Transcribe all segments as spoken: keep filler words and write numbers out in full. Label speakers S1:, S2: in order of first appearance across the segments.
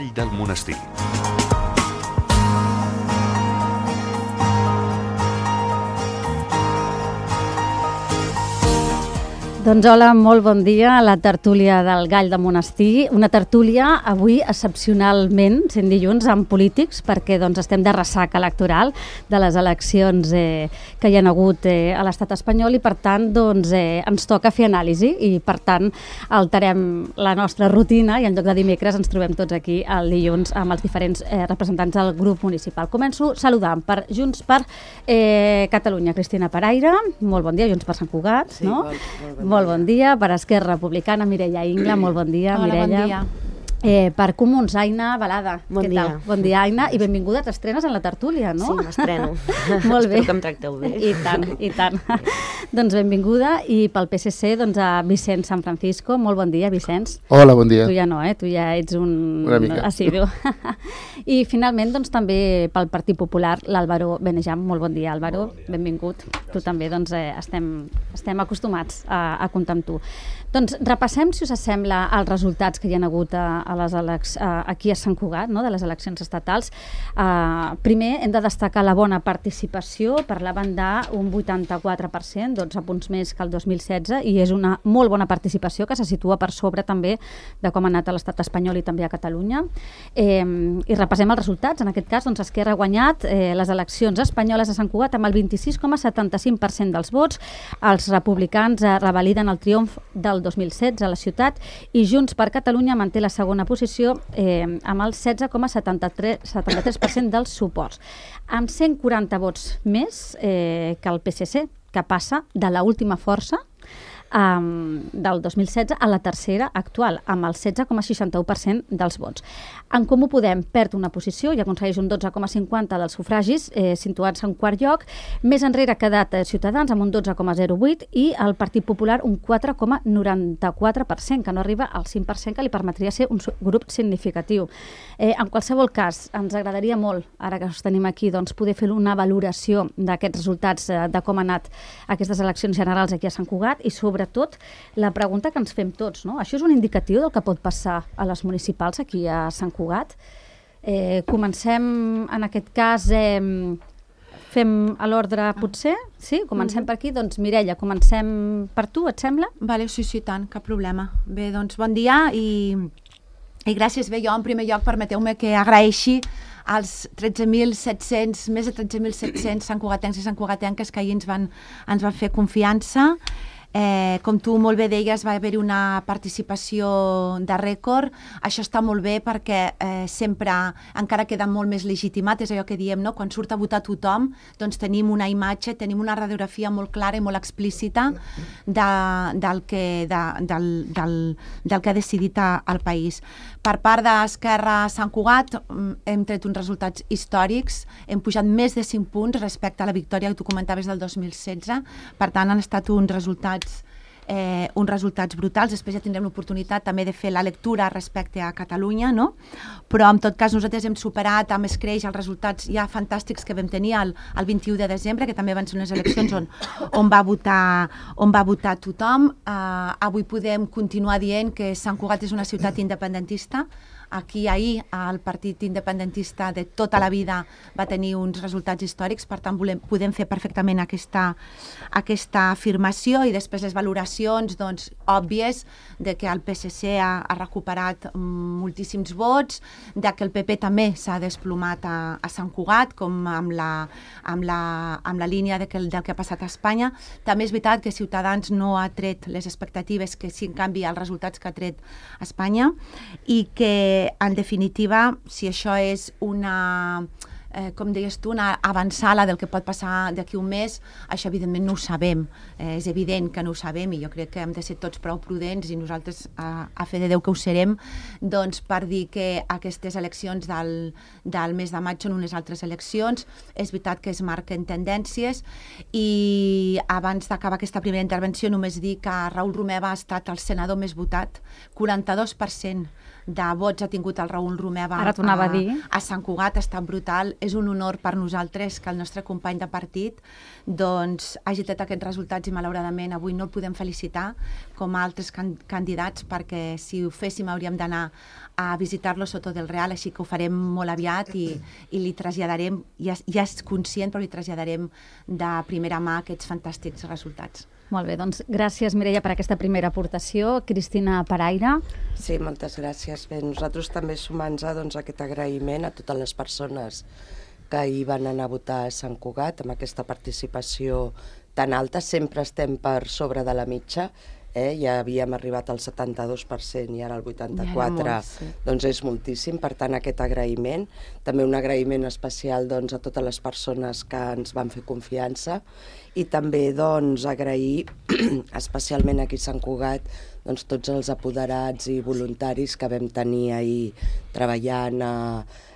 S1: Gall del Monestir.
S2: Doncs hola, molt bon dia a la tertúlia del Gall de Monestir. Una tertúlia avui excepcionalment, sent dilluns, amb polítics, perquè doncs, estem de ressaca electoral de les eleccions eh, que hi ha hagut eh, a l'estat espanyol i per tant doncs, eh, ens toca fer anàlisi i per tant alterem la nostra rutina i en lloc de dimecres ens trobem tots aquí el dilluns amb els diferents eh, representants del grup municipal. Començo saludant per Junts per eh, Catalunya, Cristina Paraire. Molt bon dia, Junts per Sant Cugat.
S3: Sí,
S2: no?
S3: molt, molt bon
S2: Molt bon dia. Per Esquerra Republicana, Mireia Ingla. Molt bon dia,
S4: Hola,
S2: Mireia.
S4: bon dia.
S2: Eh, per Comuns, Aina Balada.
S3: Bon
S2: Què
S3: dia.
S2: tal? Bon dia, Aina, i benvinguda. T'estrenes en la tertúlia, no?
S3: Sí, m'estreno.
S2: Molt bé.
S3: Espero que em tracteu bé.
S2: I tant, i tant. Doncs benvinguda. I pel P S C, doncs a Vicenç San Francisco. Molt bon dia, Vicenç.
S5: Hola, bon dia.
S2: Tu ja no, eh? Tu ja ets un
S5: Una mica.
S2: assidu. I finalment, doncs també pel Partit Popular, l'Àlvaro Benejam. Molt bon dia, Àlvaro. Bon dia. Benvingut. Gràcies. Tu també, doncs, eh, estem, estem acostumats a, a comptar amb tu. Doncs repassem, si us sembla, els resultats que hi ha hagut a, a les eleccions aquí a Sant Cugat, no? De les eleccions estatals. Uh, primer, hem de destacar la bona participació. Parlaven d'un vuitanta-quatre per cent, dotze punts més que el dos mil setze, i és una molt bona participació que se situa per sobre també de com ha anat a l'estat espanyol i també a Catalunya. Eh, I repassem els resultats. En aquest cas, doncs, Esquerra ha guanyat eh, les eleccions espanyoles a Sant Cugat amb el vint-i-sis coma setanta-cinc per cent dels vots. Els republicans eh, revaliden el triomf del dos mil setze a la ciutat i Junts per Catalunya manté la segona posició eh, amb el setze coma setanta-tres per cent dels suports, amb cent quaranta vots més eh, que el P S C, que passa de l'última força um, del dos mil setze a la tercera actual, amb el setze coma seixanta-u per cent dels vots. En Comú Podem perd una posició i aconsegueix un dotze coma cinquanta dels sufragis, eh, situats en quart lloc. Més enrere ha quedat eh, Ciutadans amb un dotze coma zero vuit i el Partit Popular un quatre coma noranta-quatre per cent, que no arriba al cinc per cent, que li permetria ser un grup significatiu. Eh, en qualsevol cas, ens agradaria molt, ara que us tenim aquí, doncs, poder fer una valoració d'aquests resultats, eh, de com han anat aquestes eleccions generals aquí a Sant Cugat i, sobretot, la pregunta que ens fem tots, no? Això és un indicatiu del que pot passar a les municipals aquí a Sant Cugat. Eh, comencem, en aquest cas, eh, fem a l'ordre, potser? Sí? Comencem per aquí? Doncs, Mireia, comencem per tu, et sembla?
S4: Vale, sí, sí, tant, cap problema. Bé, doncs, bon dia i, i gràcies. Bé, jo, en primer lloc, permeteu-me que agraeixi als tretze mil set-cents, més de tretze mil set-cents santcugatencs i santcugatenques que ahir ens van, ens van fer confiança. Eh, com tu molt bé deies, va haver-hi una participació de rècord. Això està molt bé perquè eh, sempre encara queda molt més legitimat, és allò que diem, no? Quan surt a votar tothom, doncs tenim una imatge, tenim una radiografia molt clara i molt explícita de, del, que, de, del, del, del que ha decidit a, el país. Per part d'Esquerra Sant Cugat hem tret uns resultats històrics, hem pujat més de cinc punts respecte a la victòria que tu comentaves del dos mil setze, per tant han estat uns resultats Eh, uns resultats brutals. Després ja tindrem l'oportunitat també de fer la lectura respecte a Catalunya, no? Però en tot cas nosaltres hem superat amb escreix els resultats ja fantàstics que vam tenir el, el vint-i-u de desembre, que també van ser unes eleccions on, on, va, votar, on va votar tothom. Uh, avui podem continuar dient que Sant Cugat és una ciutat independentista. Aquí ahir el partit independentista de tota la vida va tenir uns resultats històrics, per tant volem, podem fer perfectament aquesta, aquesta afirmació i després les valoracions doncs, òbvies de que el P S C ha, ha recuperat moltíssims vots, de que el P P també s'ha desplomat a, a Sant Cugat, com amb la, amb la, amb la línia de que, del que ha passat a Espanya. També és veritat que Ciutadans no ha tret les expectatives que sí, en canvi, els resultats que ha tret Espanya i que en definitiva, si això és una, eh, com deies tu, una avançada del que pot passar d'aquí un mes, això evidentment no ho sabem. Eh, és evident que no ho sabem i jo crec que hem de ser tots prou prudents i nosaltres, a, a fe de Déu que ho serem, doncs per dir que aquestes eleccions del, del mes de maig són unes altres eleccions. És veritat que es marquen tendències i abans d'acabar aquesta primera intervenció només dir que Raül Romeva ha estat el senador més votat, quaranta-dos per cent de vots ha tingut el Raül Romeva
S2: Ara t'ho anava a dir.
S4: a Sant Cugat, ha estat brutal. És un honor per nosaltres que el nostre company de partit doncs, hagi tret aquests resultats i malauradament avui no el podem felicitar com a altres can candidats perquè si ho féssim hauríem d'anar a visitar-lo Soto del Real, així que ho farem molt aviat i, i li traslladarem, ja, ja és conscient, però li traslladarem de primera mà aquests fantàstics resultats.
S2: Molt bé, doncs gràcies Mireia per aquesta primera aportació. Cristina Paraire.
S1: Sí, moltes gràcies. Bé, nosaltres també sumant-nos a doncs, aquest agraïment a totes les persones que hi van anar a votar a Sant Cugat amb aquesta participació tan alta. Sempre estem per sobre de la mitja. Eh? Ja havíem arribat al setanta-dos per cent i ara al vuitanta-quatre per cent, ja molt, sí. Doncs és moltíssim, per tant aquest agraïment. També un agraïment especial doncs, a totes les persones que ens van fer confiança i també doncs, agrair especialment aquí a Sant Cugat doncs, tots els apoderats i voluntaris que vam tenir ahir treballant a,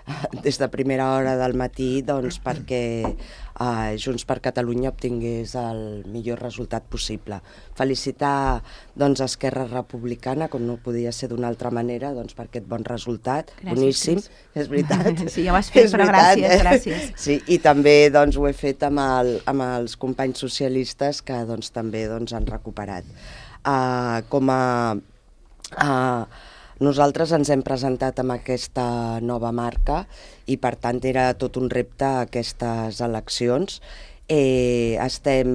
S1: a, des de primera hora del matí doncs, perquè uh, Junts per Catalunya obtingués el millor resultat possible. Felicitar doncs, Esquerra Republicana, com no podia ser d'una altra manera, doncs, per aquest bon resultat. Gràcies, boníssim, Cris. És veritat.
S4: Sí, ja ho has fet, però veritat, gràcies, eh? gràcies.
S1: Sí, i també doncs, ho he fet amb, el, amb els companys socialistes que doncs, també doncs, han recuperat. Uh, com a uh, nosaltres ens hem presentat amb aquesta nova marca i per tant era tot un repte aquestes eleccions. Eh, estem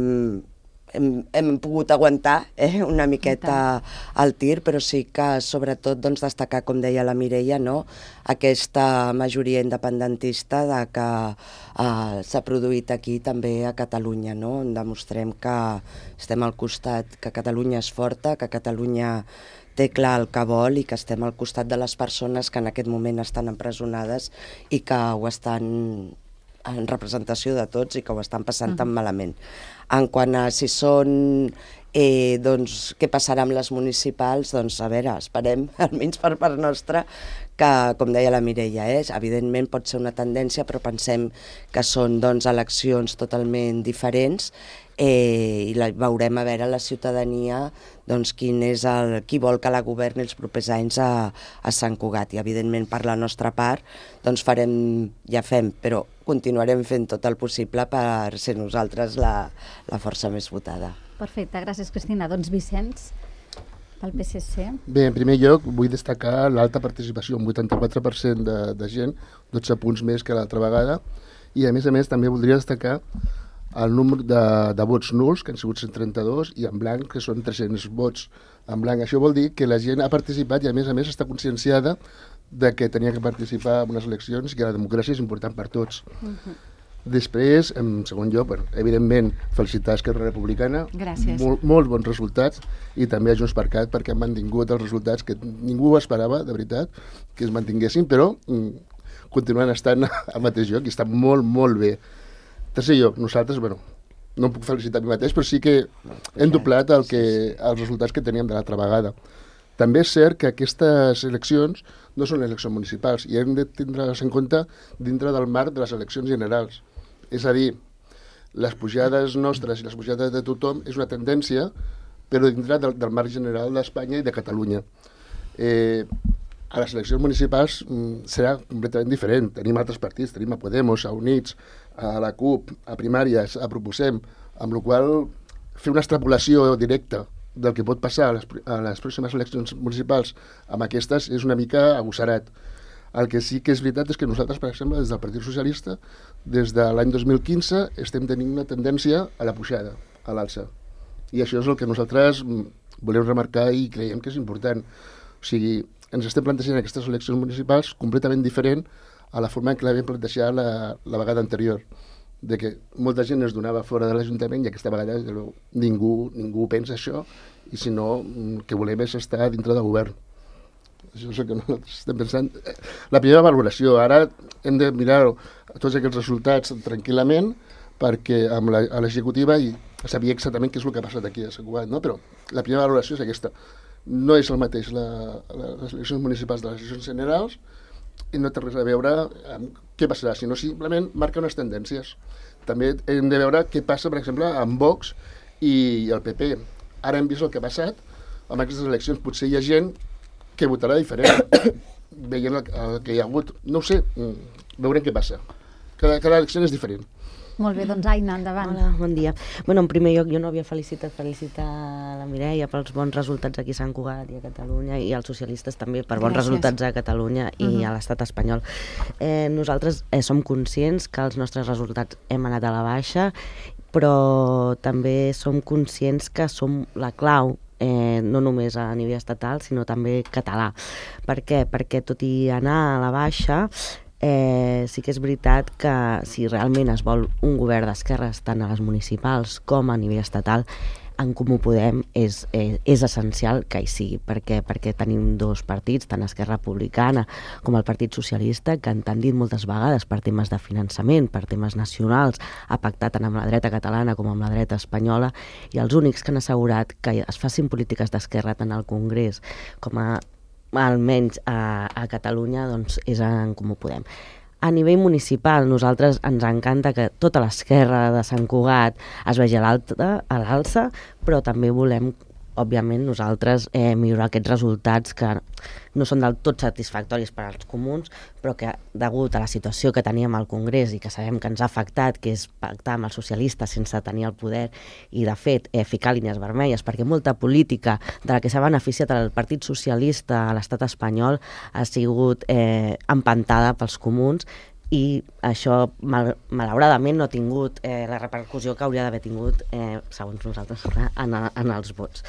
S1: hem, hem pogut aguantar eh, una miqueta el tir, però sí que sobretot doncs, destacar, com deia la Mireia, no? Aquesta majoria independentista de que eh, s'ha produït aquí també a Catalunya, no? On demostrem que estem al costat, que Catalunya és forta, que Catalunya té clar el que vol i que estem al costat de les persones que en aquest moment estan empresonades i que ho estan en representació de tots i que ho estan passant tan malament. En quant a si són, eh, doncs, què passarà amb les municipals, doncs, a veure, esperem, almenys per part nostra, que, com deia la Mireia, eh, evidentment pot ser una tendència, però pensem que són, doncs, eleccions totalment diferents, eh, i la, veurem a veure la ciutadania doncs, quin és el, qui vol que la governi els propers anys a, a Sant Cugat. I evidentment per la nostra part doncs farem, ja fem, però continuarem fent tot el possible per ser nosaltres la, la força més votada.
S2: Perfecte, gràcies Cristina. Doncs Vicenç, pel P S C.
S3: Bé, en primer lloc vull destacar l'alta participació, un vuitanta-quatre per cent de, de gent, dotze punts més que l'altra vegada, i a més a més també voldria destacar el número de, de vots nuls, que han sigut cent trenta-dos, i en blanc, que són tres-cents vots en blanc. Això vol dir que la gent ha participat i, a més a més, està conscienciada de que tenia que participar en unes eleccions i que la democràcia és important per tots. Uh-huh. Després, en segon lloc, bueno, evidentment, felicitar Esquerra Republicana.
S4: Gràcies.
S3: Mol, molts bons resultats, i també a Junts per Cat, perquè han mantingut els resultats que ningú esperava, de veritat, que es mantinguessin, però mm, continuen estant al mateix lloc i estan molt, molt bé. Tercer lloc, nosaltres, bueno, no em puc felicitar a mi mateix, però sí que hem doblat el que, els resultats que teníem de l'altra vegada. També és cert que aquestes eleccions no són eleccions municipals i hem de tindre-les en compte dintre del marc de les eleccions generals. És a dir, les pujades nostres i les pujades de tothom és una tendència, però dintre del, del marc general d'Espanya i de Catalunya. Eh, a les eleccions municipals mm, serà completament diferent. Tenim altres partits, tenim a Podemos, a Units, a la CUP, a Primàries, a Proposem, amb la qual fer una extrapolació directa del que pot passar a les, a les pròximes eleccions municipals amb aquestes és una mica agossarat. El que sí que és veritat és que nosaltres, per exemple, des del Partit Socialista, des de l'any dos mil quinze, estem tenint una tendència a la pujada, a l'alça. I això és el que nosaltres volem remarcar i creiem que és important. O sigui, ens estem plantejant aquestes eleccions municipals completament diferent a la forma en què l'havíem plantejat la, la vegada anterior, de que molta gent es donava fora de l'Ajuntament i aquesta vegada ningú, ningú pensa això i si no, el que volem és estar dintre del govern. Això és el que nosaltres estem pensant. La primera valoració, ara hem de mirar tots aquests resultats tranquil·lament perquè amb l'executiva i sabia exactament què és el que ha passat aquí a Sant Cugat, no? Però la primera valoració és aquesta. No és el mateix la, la, les eleccions municipals de les eleccions generals i no té res a veure amb què passarà, sinó simplement marca unes tendències. També hem de veure què passa, per exemple, amb Vox i el P P. Ara hem vist el que ha passat amb aquestes eleccions. Potser hi ha gent que votarà diferent, veient el, el que hi ha hagut. No ho sé, veurem què passa. Cada, cada elecció és diferent.
S2: Molt bé, doncs Aina, endavant.
S5: Hola, bon dia. Bueno, en primer lloc, jo no havia felicitat, felicitar la Mireia pels bons resultats aquí a Sant Cugat i a Catalunya, i als socialistes també per bons
S4: Gràcies.
S5: resultats a Catalunya i uh-huh. a l'estat espanyol. Eh, nosaltres eh, som conscients que els nostres resultats hem anat a la baixa, però també som conscients que som la clau, eh, no només a nivell estatal, sinó també català. Per què? Perquè tot i anar a la baixa, Eh, sí que és veritat que si realment es vol un govern d'esquerres tant a les municipals com a nivell estatal, en Comú Podem és, és, és essencial que hi sigui. Per què? Perquè tenim dos partits, tant Esquerra Republicana com el Partit Socialista, que han tendit moltes vegades per temes de finançament, per temes nacionals, ha pactat tant amb la dreta catalana com amb la dreta espanyola, i els únics que han assegurat que es facin polítiques d'esquerra tant al Congrés com a almenys a, a Catalunya, doncs és en Comú Podem. A nivell municipal, nosaltres ens encanta que tota l'esquerra de Sant Cugat es vegi a l'alça, però també volem, òbviament, nosaltres eh, millorar aquests resultats que no són del tot satisfactoris per als comuns, però que, degut a la situació que teníem al Congrés i que sabem que ens ha afectat, que és pactar amb els socialistes sense tenir el poder i, de fet, eh, ficar línies vermelles, perquè molta política de la que s'ha beneficiat el Partit Socialista a l'estat espanyol ha sigut eh, empantada pels comuns, i això, mal, malauradament, no ha tingut eh, la repercussió que hauria d'haver tingut, eh, segons nosaltres, en, en els vots.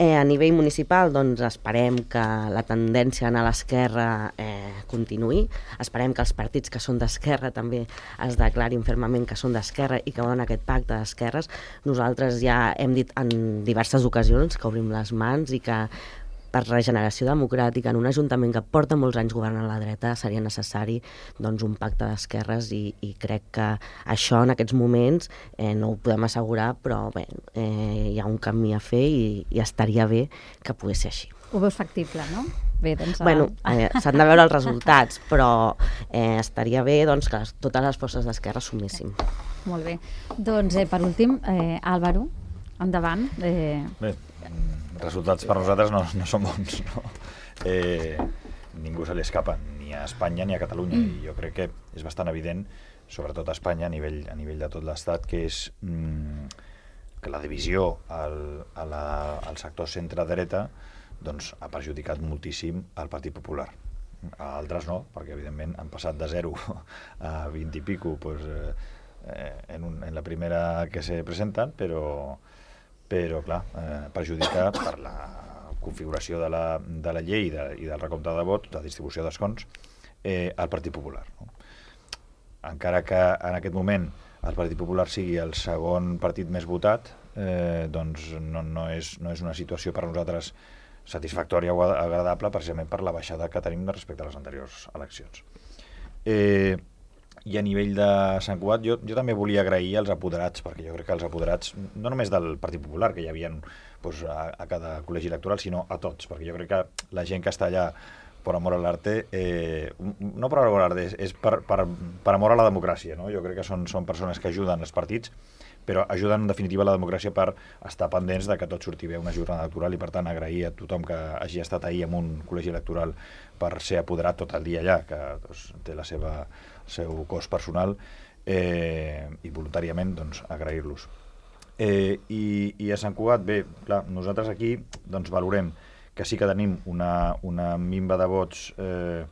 S5: Eh, a nivell municipal, doncs, esperem que la tendència a anar a l'esquerra eh, continuï. Esperem que els partits que són d'esquerra també es declarin fermament que són d'esquerra i que volen aquest pacte d'esquerres. Nosaltres ja hem dit en diverses ocasions que obrim les mans i que per regeneració democràtica en un ajuntament que porta molts anys governant la dreta seria necessari, doncs, un pacte d'esquerres, i, i crec que això en aquests moments eh, no ho podem assegurar, però bé, eh, hi ha un camí a fer i, i estaria bé que pogués ser així.
S2: Ho veus factible, no? Bé, doncs...
S5: Bueno, eh, s'han de veure els resultats, però eh, estaria bé, doncs, que les, totes les forces d'esquerra suméssim.
S2: Molt bé. Doncs, eh, per últim, eh, Álvaro, endavant. Eh...
S6: Bé, resultats per nosaltres no, no són bons, no? Eh, ningú se li escapa, ni a Espanya ni a Catalunya, mm. i jo crec que és bastant evident, sobretot a Espanya, a nivell, a nivell de tot l'Estat, que és mm, que la divisió al, a la, al sector centre-dreta doncs, ha perjudicat moltíssim al Partit Popular. A altres no, perquè evidentment han passat de zero a vint i pico pues, eh, en, un, en la primera que se presenten, però però, clar, eh, perjudica per la configuració de la, de la llei de, i del recompte de vots, de distribució d'escons, eh, al Partit Popular. No? Encara que en aquest moment el Partit Popular sigui el segon partit més votat, eh, doncs no, no, és, no és una situació per nosaltres satisfactòria o agradable, precisament per la baixada que tenim respecte a les anteriors eleccions. Eh, I a nivell de Sant Cugat, jo, jo també volia agrair als apoderats, perquè jo crec que els apoderats, no només del Partit Popular, que hi havia doncs, a, a cada col·legi electoral, sinó a tots, perquè jo crec que la gent que està allà per amor a l'arte, eh, no per amor a l'arte, és per, per, per amor a la democràcia, no? Jo crec que són, són persones que ajuden els partits, però ajuden en definitiva la democràcia per estar pendents de que tot surti bé una jornada electoral, i per tant agrair a tothom que hagi estat ahir en un col·legi electoral per ser apoderat tot el dia allà, que doncs, té la seva seu cost personal, eh, i voluntàriament doncs, agrair-los. Eh, i, I a Sant Cugat, bé, clar, nosaltres aquí doncs, valorem que sí que tenim una, una minva de vots eh,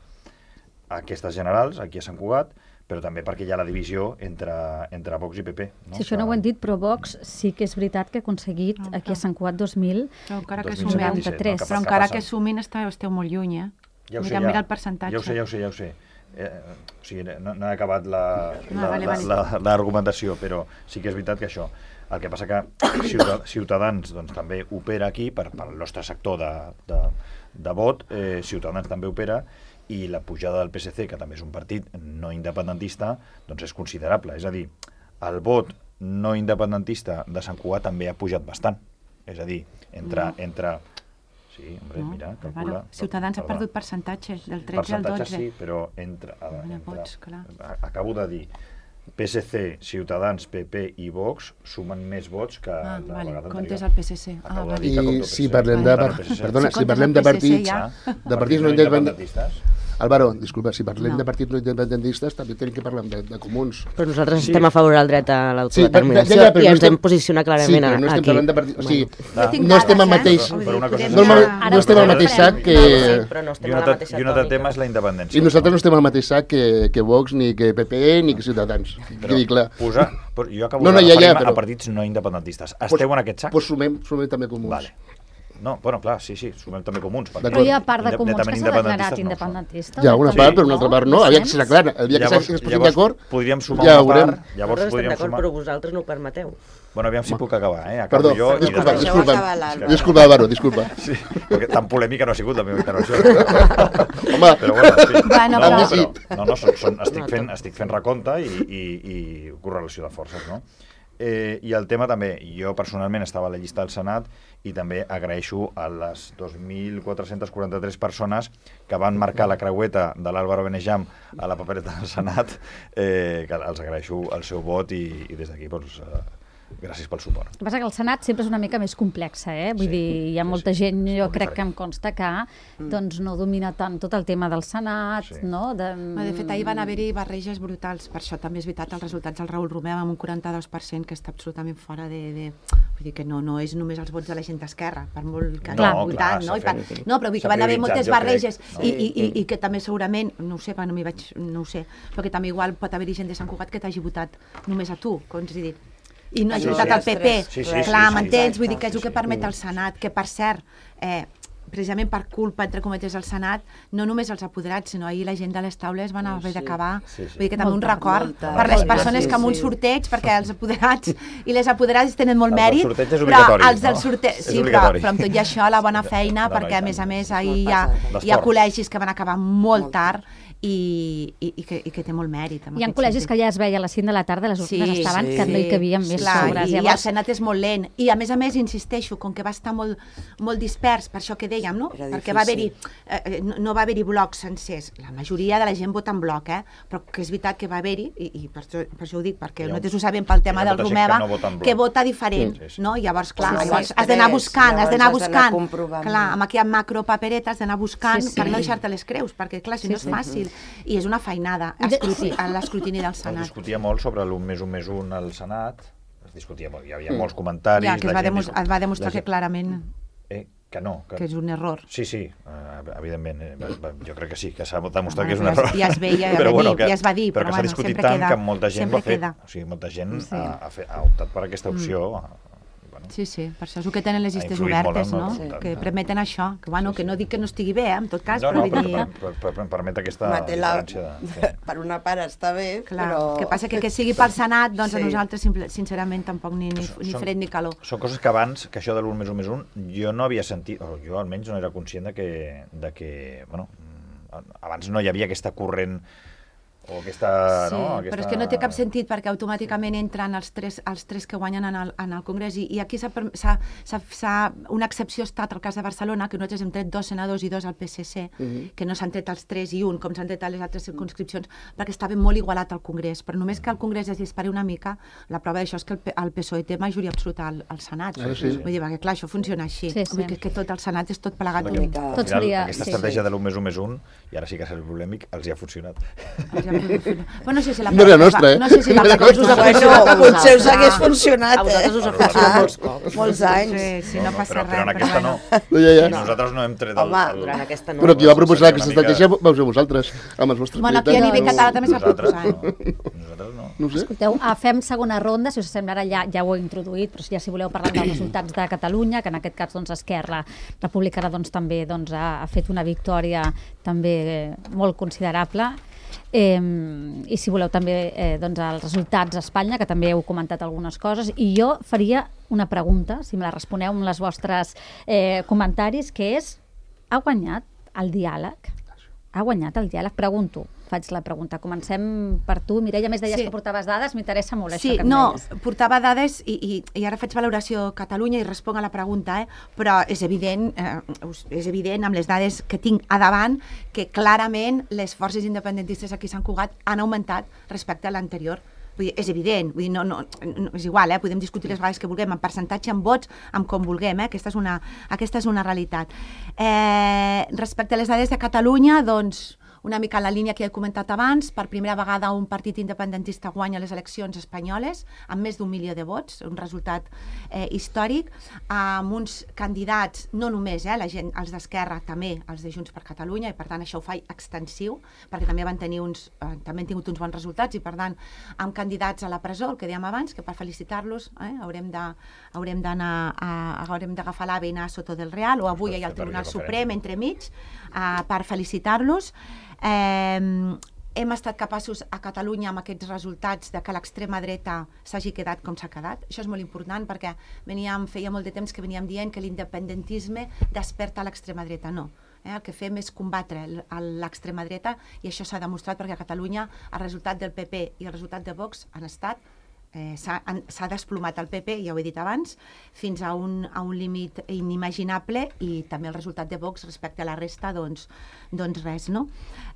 S6: a aquestes generals, aquí a Sant Cugat, però també perquè hi ha la divisió entre, entre Vox i P P. No?
S2: Si això no ho hem dit, però Vox sí que és veritat que ha aconseguit no, aquí a Sant Cugat dos mil noranta-tres.
S4: Però encara que sumin esteu, esteu molt lluny, eh?
S6: Ja ho sé,
S4: mira,
S6: ja,
S4: mira el percentatge.
S6: Ja ho sé, ja ho sé, ja ho sé. Eh, o sigui, no, no he acabat l'argumentació,
S4: no, vale, vale.
S6: però sí que és veritat que això. El que passa que Ciutadans doncs, també opera aquí, per, per el nostre sector de, de, de vot, eh, Ciutadans també opera, i la pujada del P S C, que també és un partit no independentista, doncs és considerable. És a dir, el vot no independentista de Sant Cugat també ha pujat bastant. És a dir, entre... No. entre sí, hombre, no, mira, calcula...
S4: Bueno, Ciutadans ha perdut percentatge, del tretze al dotze.
S6: Sí, però entre... A, entre
S4: vots, clar.
S6: acabo de dir, P S C, Ciutadans, P P i Vox sumen més vots que
S4: Ah,
S6: la
S4: vale,
S6: vegada
S4: comptes
S6: anterior.
S4: el P S C. Ah,
S6: Acabo de
S4: vale.
S6: dir que compto
S3: I
S6: P S C.
S3: si parlem de...
S6: Compte el P S C.
S3: Perdona,
S4: Si
S3: si parlem de
S4: comptes el P S C
S3: partits...
S4: ja.
S3: De partits no
S6: no
S3: independentistes...
S6: independentistes.
S3: Álvaro, disculpa, si parlem
S4: No.
S3: de partits no independentistes també tenim que parlar de, de comuns.
S5: Però nosaltres
S6: Sí.
S5: estem a favor del dret a
S3: Sí,
S5: l'autodeterminació
S3: ja, ja, però
S5: i
S3: no
S5: ens
S3: estem-
S5: hem posicionat
S3: Sí,
S5: clarament
S3: però no estem
S5: aquí.
S3: parlant de partits... O sigui,
S4: Jo tinc
S3: no estem al
S4: dades, eh?
S3: mateix...
S4: Vull dir,
S6: Però una cosa
S4: podem
S6: és-
S3: No, no,
S4: ja-
S3: no estem al mateix sac que...
S5: Sí, però no
S6: I
S5: estem
S6: un
S5: a la
S6: altre,
S5: mateixa
S6: i un altre
S5: tònica.
S6: tema és la independència.
S3: I nosaltres no estem al mateix sac que, que Vox, ni que P P E, ni que Ciutadans.
S6: Però
S3: Quedi clar.
S6: posar, però jo acabo
S3: No, no,
S6: de
S3: ja, ja,
S6: referir-me
S3: però-
S6: a partits no independentistes. Esteu en aquest sac?
S3: Doncs sumem, sumem també comuns.
S6: Vale. No, bueno, clar, sí, sí, sumem també comuns. perquè
S3: D'acord.
S2: Però hi ha part de
S6: inde-
S2: comuns que
S6: netament
S2: s'ha declarat
S6: independentistes no ho són.
S2: independentista.
S3: Hi ha una
S6: Sí.
S3: part, però una altra part no. Aviam que serà clara. El dia que
S6: Llavors-
S3: s'hagi posat
S6: llavors
S3: d'acord,
S6: podríem sumar
S3: ja
S6: una
S3: ho veurem.
S6: part, llavors
S5: Nosaltres estem
S6: podríem
S5: d'acord,
S6: sumar...
S5: però vosaltres no ho permeteu.
S6: Bueno, aviam si puc acabar, eh? Acabo
S3: Perdó,
S6: jo i
S3: disculpa,
S6: després-
S1: Deixeu
S3: disculpa.
S1: acabar l'Àlvaro.
S3: Disculpa, Álvaro, disculpa.
S6: Sí, perquè tan polèmica no ha sigut la meva intervenció.
S3: Home,
S6: Però bueno, sí.
S4: Bueno,
S6: no,
S4: però-
S6: però, no, no, són, són, estic, fent, estic fent recompte i, i, i correlació de forces, no? Eh, I el tema també, jo personalment estava a la llista del Senat i també agraeixo a les dos mil quatre-cents quaranta-tres persones que van marcar la creueta de l'Álvaro Benejam a la papereta del Senat, eh, que els agraeixo el seu vot i, i des d'aquí doncs, eh, gràcies pel suport.
S2: El que passa que el Senat sempre és una mica més complexa, eh? Vull
S6: Sí,
S2: dir, hi ha
S6: sí,
S2: molta
S6: sí.
S2: gent, jo
S6: Molt
S2: crec que
S6: diferent.
S2: em consta que doncs, no domina tant tot el tema del Senat,
S6: Sí.
S2: no? De,
S4: No, de fet, ahir van haver-hi barreges brutals. Per això també és veritat els resultats del Raül Romeu amb un quaranta-dos per cent que està absolutament fora de... de... Vull dir que no, no és només els vots de la gent d'esquerra, per molt que
S6: No,
S4: hagi
S6: clar,
S4: votat, no? I
S6: s'ha
S4: per...
S6: fet-
S4: no, però vull dir
S6: s'ha
S4: que van haver
S6: prioritzat,
S4: moltes
S6: jo crec,
S4: barreges
S6: no?
S4: i, i, i, i que també segurament, no ho sé, perquè no m'hi vaig... no ho sé, però que també igual pot haver-hi gent de Sant Cugat que t'hagi votat només a tu, com has dit. I no hagi
S1: Sí,
S4: votat
S1: sí.
S4: al P P.
S6: Sí, sí,
S4: Clar,
S6: sí, sí,
S4: m'entens?
S1: sí.
S4: Vull dir que és el
S6: Sí,
S4: que
S6: sí.
S4: permet el Senat, que per cert, eh, precisament per culpa, entre cometes, del Senat, no només els apoderats, sinó ahir la gent de les taules van haver d'acabar.
S6: Sí, sí.
S4: Vull dir que també un
S2: Molta,
S4: record
S1: molta.
S4: per les
S6: Molta,
S4: persones
S1: sí,
S4: que amb un
S1: sí.
S4: sorteig, perquè els apoderats i les apoderades tenen molt
S6: Els del
S4: mèrit,
S6: sorteig és
S4: però
S6: obligatori,
S4: els del
S6: no?
S4: sorteig...
S6: És
S4: Sí, però,
S6: obligatori.
S4: però amb tot i això, la bona feina,
S6: No, no,
S4: perquè
S6: i
S4: a més a
S6: tant.
S4: més
S1: És
S4: ahir
S1: molt
S4: hi ha,
S1: pesat.
S4: hi ha
S6: L'esforç.
S4: col·legis que van acabar molt
S1: Molt
S4: tard i, i, i, que, i que té molt mèrit. en
S2: Hi ha
S4: aquest
S2: col·legis
S4: sentit.
S2: que ja es veia a les cinc de la tarda, les urnes estaven,
S1: sí,
S2: que no hi
S1: sí.
S2: cabien més
S4: Clar,
S2: sobres.
S4: i, i el
S2: Llavors,
S4: Senat és molt lent. I a més a més, insisteixo, com que va estar molt, molt dispers, per això que dèiem, no?
S1: Era
S4: Perquè va haver-hi,
S1: difícil.
S4: eh, no, no va haver-hi blocs sencers. La majoria de la gent vota en bloc, eh? Però que és veritat que va haver-hi, i, i per, això, per això ho dic, perquè
S6: Hi ha-
S4: nosaltres ho sabem pel tema
S6: hi ha
S4: del
S6: molta gent
S4: Romeva,
S6: que no vota en bloc.
S4: que vota diferent,
S6: Sí, sí.
S4: no? Llavors, clar,
S1: Sí, sí.
S4: llavors
S1: Sí,
S4: has d'anar
S1: tres,
S4: buscant, has d'anar
S1: llavors has d'anar
S4: buscant.
S1: comprovant.
S4: Clar, amb aquella macro papereta has d'anar buscant
S2: Sí, sí.
S4: per no deixar-te les creus, perquè clar, si no és fàcil. I és una feinada,
S2: De-
S4: escruti, a l'escrutini del
S6: Es
S4: Senat.
S6: discutia molt sobre l'un més un més un al Senat, es discutia molt, hi havia molts comentaris...
S4: Ja, que es
S6: la
S4: va,
S6: gent
S4: demos
S6: discu-
S4: es va demostrar
S6: la
S4: que
S6: gent-
S4: clarament
S6: Eh, que no, que,
S4: que és un error.
S6: Sí, sí, eh, evidentment, eh, va- va- jo crec que sí, que s'ha demostrat
S4: Bueno,
S6: que és un
S4: ja es-
S6: error.
S4: ja es veia, ja
S6: però,
S4: va
S6: bueno,
S4: dir,
S6: que,
S4: ja es va dir,
S6: però
S4: però
S6: que s'ha
S4: bueno,
S6: discutit
S4: sempre
S6: tant
S4: queda,
S6: que molta gent ho
S4: sempre
S6: ha fet.
S4: queda.
S6: O sigui, molta gent
S2: Sí.
S6: ha, ha, fet, ha optat per aquesta opció. Mm. Bueno,
S4: Sí, sí, per això és el que tenen les
S6: Ha
S4: llistes
S6: influït molt
S4: obertes,
S6: en el
S4: no?
S6: resultat.
S4: Que permeten això, que, bueno, que no dic que no estigui bé, eh, en tot cas,
S6: no,
S4: però
S6: no,
S4: vull
S6: però,
S4: dir...
S6: però, però, però permet aquesta
S1: Mate, la...
S6: diferència. De, sí.
S1: Per una part està bé,
S4: Clar,
S1: però...
S4: que passa que que sigui pel Senat, doncs
S1: Sí.
S4: a nosaltres, simple, sincerament, tampoc ni, ni, ni
S6: Són-
S4: fred ni calor.
S6: Són coses que abans, que això de l'un més un més un, jo no havia sentit, o jo almenys no era conscient de que, de que bueno, mm, abans no hi havia aquesta corrent o aquesta...
S4: Sí,
S6: no, aquesta...
S4: però és que no té cap sentit perquè automàticament entren els tres, els tres que guanyen en el, en el Congrés i, i aquí s'ha, per- s'ha, s'ha, s'ha, una excepció ha estat el cas de Barcelona, que nosaltres hem tret dos senadors i dos al P S C,
S3: Mhm.
S4: que no s'han tret els tres i un, com s'han tret a les altres circunscripcions, perquè estava molt igualat al Congrés. Però només que el Congrés es dispari una mica, la prova d'això és que el, P- el P S O E té majoria absoluta al, al Senat.
S3: Ara sí.
S4: Vull dir, perquè clar, això funciona així.
S2: Sí, sí.
S4: Vull dir que, que tot el Senat és tot plegat.
S1: Una
S4: un-
S1: mica-
S6: Al
S2: Tot
S6: final,
S2: seria-
S6: aquesta
S2: sí,
S6: estratègia
S1: sí.
S6: de l'un més un més un, i ara sí que serà polèmic, els hi ha funcionat.
S4: Però no sé si la
S3: No era nostra, eh?
S4: No sé si la
S3: Era
S4: cosa us ha
S3: nostra.
S4: funcionat a
S1: Bueno, potser us
S4: vosaltres.
S1: hagués funcionat,
S5: A vosaltres
S1: eh?
S5: us ha funcionat
S1: Ah,
S5: molts cops.
S1: Molts anys.
S4: Sí, sí, no, passa
S6: però,
S4: res.
S6: però en aquesta
S4: bueno.
S6: no.
S3: No, ja, ja.
S6: I nosaltres no hem tret el...
S1: Home,
S6: el...
S5: Durant aquesta no.
S3: Però qui va proposar
S6: Una
S3: aquesta
S6: mica-
S3: estratègia vau ser vosaltres, amb els vostres
S4: Bueno, aquí a
S3: militants.
S4: nivell català també es va
S6: Nosaltres
S4: proposar.
S6: no. Nosaltres no.
S3: No ho sé.
S2: escolteu, ah, fem segona ronda, si us sembla ara ja, ja ho he introduït, però ja si voleu parlar dels resultats de Catalunya, que en aquest cas doncs, Esquerra Republicana doncs, també doncs, ha, ha fet una victòria també eh, molt considerable. Eh, i si voleu també eh, doncs, els resultats a Espanya, que també heu comentat algunes coses, i jo faria una pregunta, si me la responeu amb els vostres eh, comentaris, que és, ha guanyat el diàleg? Ha guanyat el diàleg? Pregunto, faig la pregunta. Comencem per tu, Mireia, a més deies
S4: Sí.
S2: que portaves dades, m'interessa molt
S4: Sí,
S2: això que em
S4: no,
S2: deies.
S4: portava dades i, i, i ara faig valoració Catalunya i responc a la pregunta, eh? Però és evident, eh, us- és evident amb les dades que tinc a davant que clarament les forces independentistes aquí a Sant Cugat han augmentat respecte a l'anterior Vull dir, és evident, vull dir, no, no, no, és igual, eh? Podem discutir les vegades que vulguem, en percentatge, en vots, amb com vulguem, eh? aquesta, és una, aquesta és una realitat. Eh, respecte a les dades de Catalunya, doncs, una mica en la línia que he comentat abans, per primera vegada un partit independentista guanya les eleccions espanyoles amb més d'un milió de vots, un resultat eh, històric, amb uns candidats, no només eh, la gent, els d'Esquerra, també els de Junts per Catalunya, i per tant això ho fa extensiu, perquè també van tenir uns, eh, també han tingut uns bons resultats, i per tant amb candidats a la presó, el que dèiem abans, que per felicitar-los eh, haurem de, haurem d'anar a, haurem d'agafar l'AVE i anar a Soto del Real, o avui hi ha el Tribunal Suprem entremig, eh, per felicitar-los. Eh, hem estat capaços a Catalunya amb aquests resultats de que l'extrema dreta s'hagi quedat com s'ha quedat. Això és molt important perquè veníem, feia molt de temps que veníem dient que l'independentisme desperta l'extrema dreta. No. Eh, el que fem és combatre l'extrema dreta, i això s'ha demostrat perquè a Catalunya el resultat del P P i el resultat de Vox han estat Eh, s'ha desplomat el P P, ja ho he dit abans, fins a un, a un límit inimaginable, i també el resultat de Vox respecte a la resta, doncs, doncs res, no?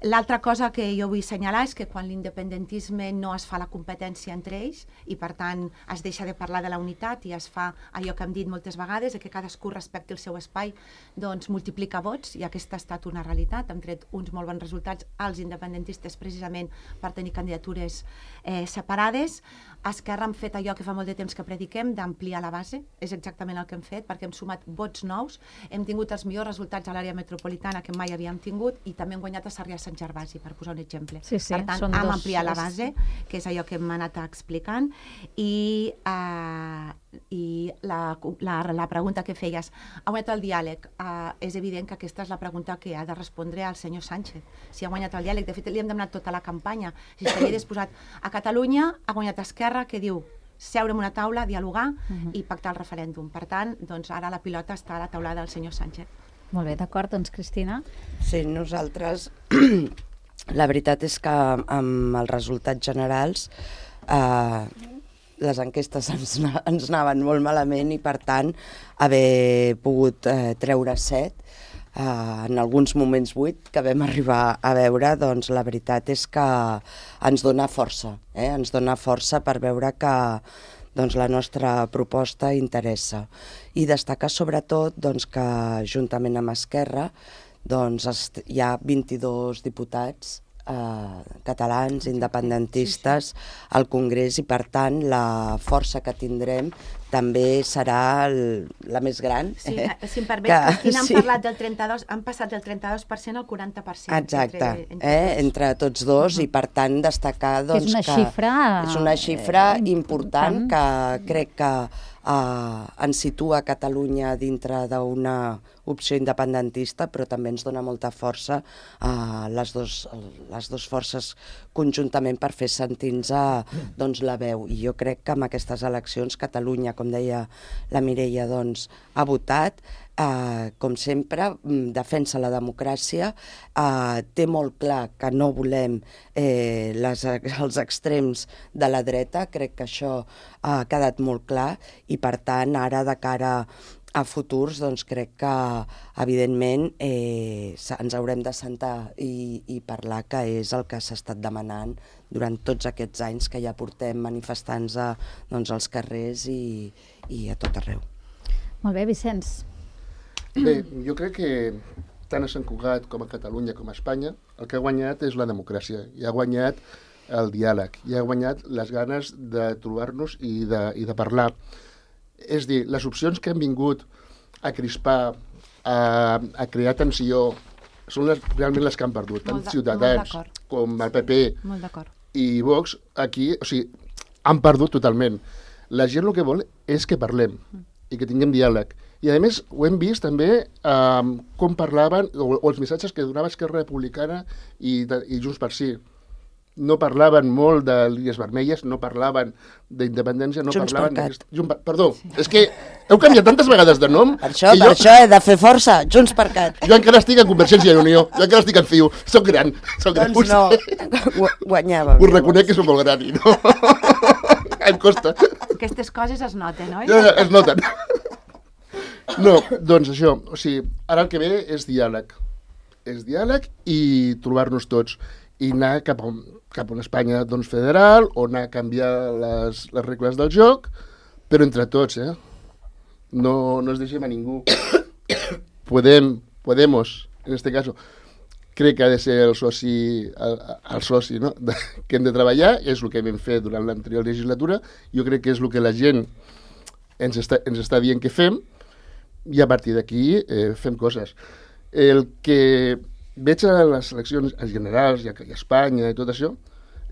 S4: L'altra cosa que jo vull assenyalar és que quan l'independentisme no es fa la competència entre ells, i per tant es deixa de parlar de la unitat i es fa allò que hem dit moltes vegades, que cadascú respecti el seu espai, doncs multiplica vots, i aquesta ha estat una realitat. Hem tret uns molt bons resultats als independentistes precisament per tenir candidatures eh, separades. Esquerra hem fet allò que fa molt de temps que prediquem, d'ampliar la base, és exactament el que hem fet, perquè hem sumat vots nous, hem tingut els millors resultats a l'àrea metropolitana que mai havíem tingut, i també hem guanyat a Sarrià Sant Gervasi, per posar un exemple.
S2: Sí, sí,
S4: per tant,
S2: són
S4: hem
S2: dos...
S4: ampliat la base, que és allò que hem anat explicant, i, uh, i la, la, la pregunta que feies, ha guanyat el diàleg? Uh, és evident que aquesta és la pregunta que ha de respondre al senyor Sánchez. Si ha guanyat el diàleg, de fet li hem demanat tota la campanya, si s'havia disposat. A Catalunya ha guanyat Esquerra, que diu seure en una taula, dialogar uh-huh. i pactar el referèndum. Per tant, doncs ara la pilota està a la taulada del senyor Sánchez.
S2: Molt bé, d'acord, doncs Cristina.
S1: Sí, nosaltres, la veritat és que amb els resultats generals eh, les enquestes ens, ens anaven molt malament, i per tant haver pogut eh, treure set, Uh, en alguns moments vuit que vam arribar a veure, doncs la veritat és que ens dona força, eh? ens dona força per veure que doncs, la nostra proposta interessa. I destacar sobretot doncs, que juntament amb Esquerra doncs, hi ha vint-i-dos diputats eh, catalans, independentistes, sí, sí. al Congrés, i per tant la força que tindrem també serà el, la més gran.
S4: Sí,
S1: eh?
S4: si em permets, que, Cristina, han sí. parlat del trenta-dos, han passat del trenta-dos per cent al quaranta per cent.
S1: Exacte,
S4: entre, entre,
S1: eh?
S4: tots.
S1: entre tots dos, uh-huh. i per tant destacar doncs,
S2: és una
S1: que
S2: xifra,
S1: és una xifra
S2: eh,
S1: important, que crec que eh, ens situa Catalunya dintre d'una opció independentista, però també ens dona molta força a les, dos, les dues forces conjuntament per fer sentir-nos doncs, la veu. I jo crec que amb aquestes eleccions Catalunya, com deia la Mireia, doncs, ha votat, eh, com sempre, defensa la democràcia, eh, té molt clar que no volem eh, les, els extrems de la dreta, crec que això ha quedat molt clar, i per tant ara de cara a futurs, doncs crec que, evidentment, eh, ens haurem de sentar i, i parlar, que és el que s'ha estat demanant durant tots aquests anys que ja portem manifestant-nos a, doncs, als carrers i, i a tot arreu.
S2: Molt bé, Vicenç.
S3: Bé, jo crec que tant a Sant Cugat com a Catalunya com a Espanya, el que ha guanyat és la democràcia, i ha guanyat el diàleg, i ha guanyat les ganes de trobar-nos i de, i de parlar. És dir, les opcions que han vingut a crispar, a, a crear tensió, són les, realment les que han perdut. Tant Ciutadans com el P P i Vox, aquí, o sigui, han perdut totalment. La gent el que vol és que parlem i que tinguem diàleg. I a més ho hem vist també eh, com parlaven, o, o els missatges que donava Esquerra Republicana i, i Junts per Sí. No parlaven molt de línies vermelles, no parlaven d'independència, no
S1: Junts
S3: parlaven...
S1: per
S3: Cat. Junts per... Perdó, sí. És que heu canviat tantes vegades de nom...
S1: Per això, per
S3: jo...
S1: això he de fer força, Junts per Cat.
S3: Jo encara estic en Convergència i Unió, jo encara estic en Ciu, soc gran. Soc
S1: doncs
S3: gran.
S1: no, guanyava.
S3: Us reconec que soc molt gran, i no... em costa.
S4: Aquestes coses es noten, oi?
S3: No, no, es noten. No, doncs això, o sigui, ara el que ve és diàleg. És diàleg i trobar-nos tots. i anar cap a, cap a una Espanya doncs, federal o anar a canviar les, les regles del joc, però entre tots, eh? No, no es deixem a ningú. Podem, Podemos, en este caso, crec que ha de ser el soci, el, el soci no? de, que hem de treballar, és el que vam fer durant l'anterior legislatura, jo crec que és el que la gent ens està, ens està dient que fem, i a partir d'aquí eh, fem coses. El que veig a les eleccions generals i a, i a Espanya i tot això,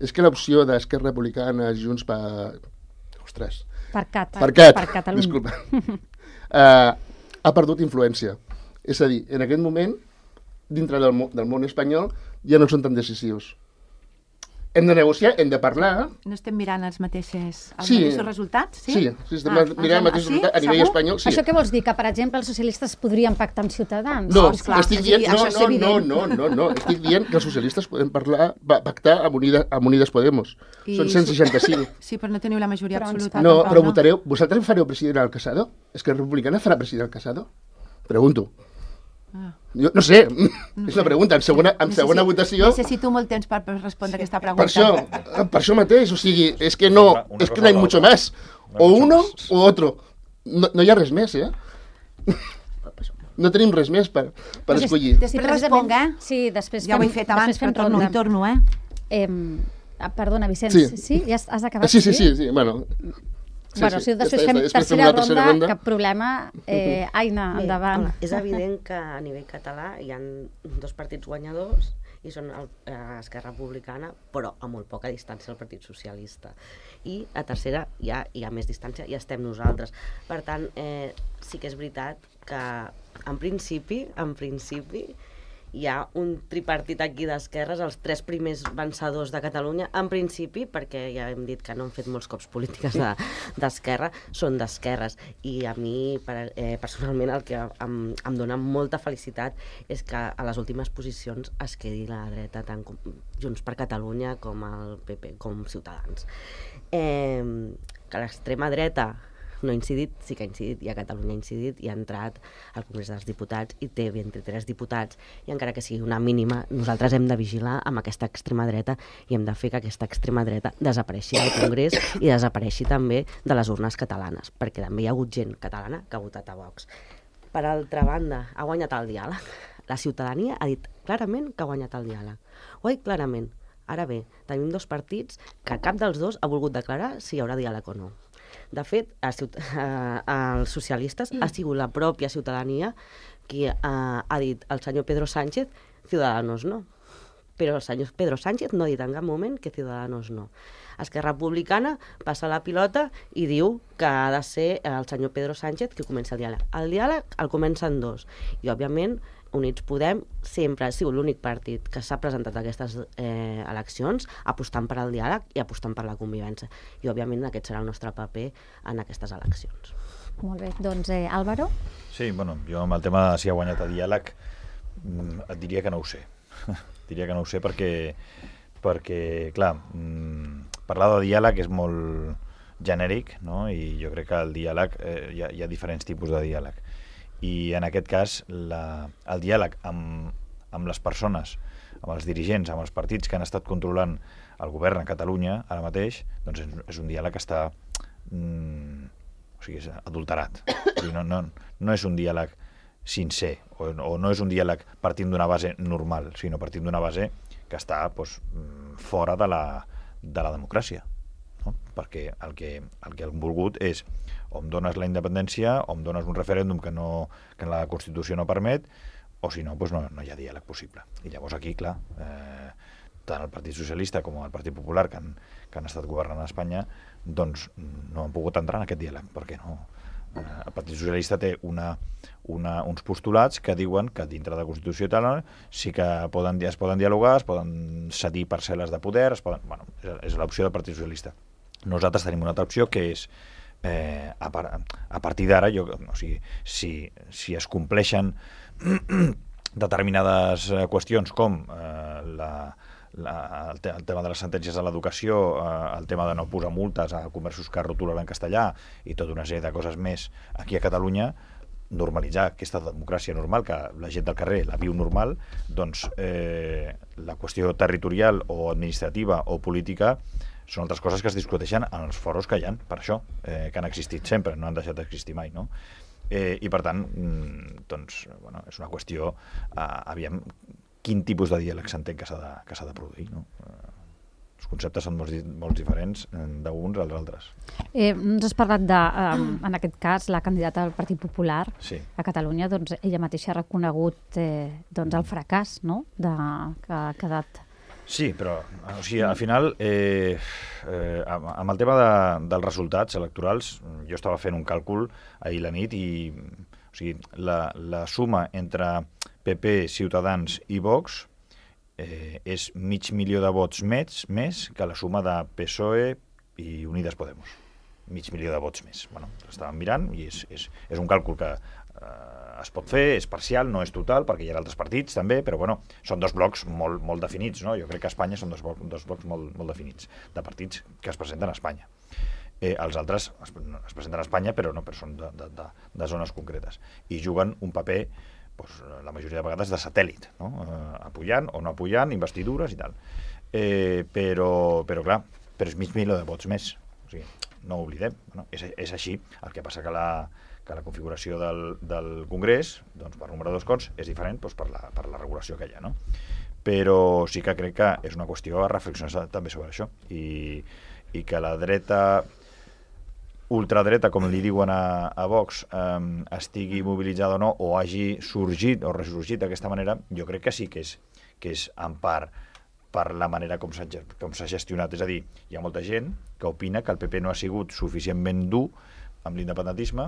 S3: és que l'opció d'Esquerra Republicana, Junts per... Ostres.
S2: Per Cat.
S3: Per Cat,
S2: per Catalunya.
S3: disculpa. uh, ha perdut influència. És a dir, en aquest moment, dintre del, del món espanyol, ja no són tan decisius. Hem de negociar, hem de parlar.
S4: No estem mirant els mateixos, els
S3: Sí.
S4: mateixos resultats? Sí,
S3: Sí, sí estem
S4: Ah,
S3: mirant el mateix
S4: sí?
S3: resultat a nivell
S4: Segur?
S3: espanyol. Sí.
S2: Això què vols dir? Que, per exemple, els socialistes podrien pactar amb Ciutadans?
S3: No,
S4: Oh, esclar,
S3: estic
S4: és
S3: dient,
S4: a dir,
S3: no,
S4: això és
S3: no, no,
S4: evident.
S3: no, no, no, estic dient que els socialistes podem parlar, pa- pactar amb, Unida, amb Unides Podemos.
S4: I
S3: Són cent seixanta-cinc.
S4: Sí, però no teniu la majoria
S2: Però ens
S4: absoluta.
S3: No,
S4: tampoc,
S3: però votareu... Vosaltres fareu president al Casado? És que Republicana farà president al Casado? Pregunto.
S4: Ah.
S3: Jo no sé,
S4: No
S3: és
S4: sé.
S3: una pregunta. En segona, en
S4: Necessi-
S3: segona votació...
S4: Necessito molt temps per, per respondre aquesta pregunta.
S3: Per això, per això mateix, o sigui, és que no,
S6: Una- una
S3: és que
S6: cosa
S3: no hay
S6: o
S3: mucho
S6: l'altra.
S3: más.
S6: No hay
S3: O
S6: mucho
S3: uno
S6: más.
S3: o otro. No, no hi ha res més, eh? No tenim res més per, per
S2: Pues és-
S3: escollir.
S4: Després responc, eh?
S2: Sí, després
S4: Ja ho he fet abans,
S2: després fem
S4: però torno
S2: ronda.
S4: i torno, eh?
S2: Eh, ah, perdona, Vicenç,
S3: Sí.
S2: sí? sí? Ja has, has acabat?
S3: Sí, sí, sí, sí, bueno... Sí,
S2: bueno,
S3: sí.
S2: si després
S3: Ja està,
S2: fem
S3: ja està. Després fem
S2: tercera,
S3: una tercera
S2: ronda,
S3: ronda.
S2: cap problema. Eh, Aina,
S5: Bé,
S2: endavant.
S5: home, és evident que a nivell català hi ha dos partits guanyadors i són el, eh, Esquerra Republicana, però a molt poca distància el Partit Socialista. I a tercera ja hi ha més distància i estem nosaltres. Per tant, eh, sí que és veritat que en principi, en principi, hi ha un tripartit aquí d'esquerres, els tres primers vencedors de Catalunya, en principi, perquè ja hem dit que no han fet molts cops polítiques de- d'esquerra, són d'esquerres. I a mi, per, eh, personalment, el que em, em dona molta felicitat és que a les últimes posicions es quedi la dreta, tant com Junts per Catalunya com el P P, com Ciutadans. Eh, que l'extrema dreta no ha incidit, sí que ha incidit, i a Catalunya ha incidit, i ha entrat al Congrés dels Diputats i té vint-i-tres diputats, i encara que sigui una mínima, nosaltres hem de vigilar amb aquesta extrema dreta i hem de fer que aquesta extrema dreta desapareixi del Congrés i desapareixi també de les urnes catalanes, perquè també hi ha hagut gent catalana que ha votat a Vox. Per altra banda, ha guanyat el diàleg. La ciutadania ha dit clarament que ha guanyat el diàleg. Ho ha dit clarament. Ara bé, tenim dos partits que cap dels dos ha volgut declarar si hi haurà diàleg o no. De fet, a ciut- a, als socialistes ha sigut la pròpia ciutadania qui ha, ha dit al senyor Pedro Sánchez Ciudadanos no. Però el senyor Pedro Sánchez no ha dit en cap moment que Ciudadanos no. Esquerra Republicana passa la pilota i diu que ha de ser el senyor Pedro Sánchez qui comença el diàleg. El diàleg el comencen dos. I, òbviament, Units Podem sempre ha sigut l'únic partit que s'ha presentat a aquestes eh, eleccions apostant per al diàleg i apostant per la convivència. I, òbviament, aquest serà el nostre paper en aquestes eleccions.
S2: Molt bé, doncs eh, Álvaro?
S6: Sí, bueno, jo amb el tema de si ha guanyat el diàleg mm, et diria que no ho sé. diria que no ho sé perquè, perquè clar, mm, parlar de diàleg és molt genèric, no? I jo crec que el diàleg, eh, hi, ha, hi ha diferents tipus de diàleg. I en aquest cas, la, el diàleg amb, amb les persones, amb els dirigents, amb els partits que han estat controlant el govern a Catalunya ara mateix, doncs és, és un diàleg que està mm, o sigui, és adulterat. O sigui, no, no, no és un diàleg sincer, o, o no és un diàleg partint d'una base normal, sinó partint d'una base que està doncs, fora de la, de la democràcia. No? Perquè el que, el que han volgut és o em dones la independència o em dones un referèndum que, no, que la Constitució no permet, o si no, doncs no, no hi ha diàleg possible. I llavors aquí, clar, eh, tant el Partit Socialista com el Partit Popular, que han, que han estat governant a Espanya, doncs no han pogut entrar en aquest diàleg, perquè no. Eh, el Partit Socialista té una, una, uns postulats que diuen que dintre de la Constitució i tal sí que poden, es poden dialogar, es poden cedir parcel·les de poder, es poden, bueno, és, és l'opció del Partit Socialista. Nosaltres tenim una altra opció que és eh, a, par, a partir d'ara, o sigui, si, si es compleixen determinades eh, qüestions com eh, la, la, el, te, el tema de les sentències de l'educació, eh, el tema de no posar multes a comerços que rotularan en castellà i tota una sèrie de coses més aquí a Catalunya, normalitzar aquesta democràcia normal, que la gent del carrer la viu normal, doncs eh, la qüestió territorial o administrativa o política són altres coses que es discuteixen en els foros que hi ha, per això, eh, que han existit sempre, no han deixat d'existir mai, no? Eh, I per tant, doncs, bueno, és una qüestió, eh, aviam, quin tipus de diàleg s'entén que s'ha de, que s'ha de produir, no? Eh, els conceptes són molt, molt diferents d'uns als altres.
S2: Eh, ens has parlat de, eh, en aquest cas, la candidata del Partit Popular
S6: sí.
S2: a Catalunya, doncs ella mateixa ha reconegut eh, doncs el fracàs, no?, de, que ha quedat.
S6: Sí, però o sigui, al final, eh, eh, amb el tema de, dels resultats electorals, jo estava fent un càlcul ahir la nit i o sigui, la, la suma entre P P, Ciutadans i Vox eh, és mig milió de vots més, més que la suma de P S O E i Unidas Podemos. Mig milió de vots més. Bueno, estàvem mirant i és, és, és un càlcul que eh, es pot fer, és parcial, no és total, perquè hi ha altres partits també, però bueno, són dos blocs molt, molt definits, no? Jo crec que a Espanya són dos, dos blocs molt, molt definits, de partits que es presenten a Espanya. Eh, els altres es, es presenten a Espanya, però no, però són de, de, de, de zones concretes. I juguen un paper, doncs, la majoria de vegades, de satèl·lit, no? Eh, apujant o no apujant, investidures i tal. Eh, però, però clar, però és mig milió de vots més. O sigui, no ho oblidem. No? És, és així. El que passa que la, que la configuració del, del Congrés, doncs, per número de escons, és diferent doncs, per, la, per la regulació que hi ha. No? Però sí que crec que és una qüestió a reflexionar també sobre això. I, i que la dreta, ultradreta, com li diuen a, a Vox, eh, estigui mobilitzada o no, o hagi sorgit o ressorgit d'aquesta manera, jo crec que sí que és, que és en part per la manera com s'ha com s'ha gestionat. És a dir, hi ha molta gent que opina que el P P no ha sigut suficientment dur amb l'independentisme,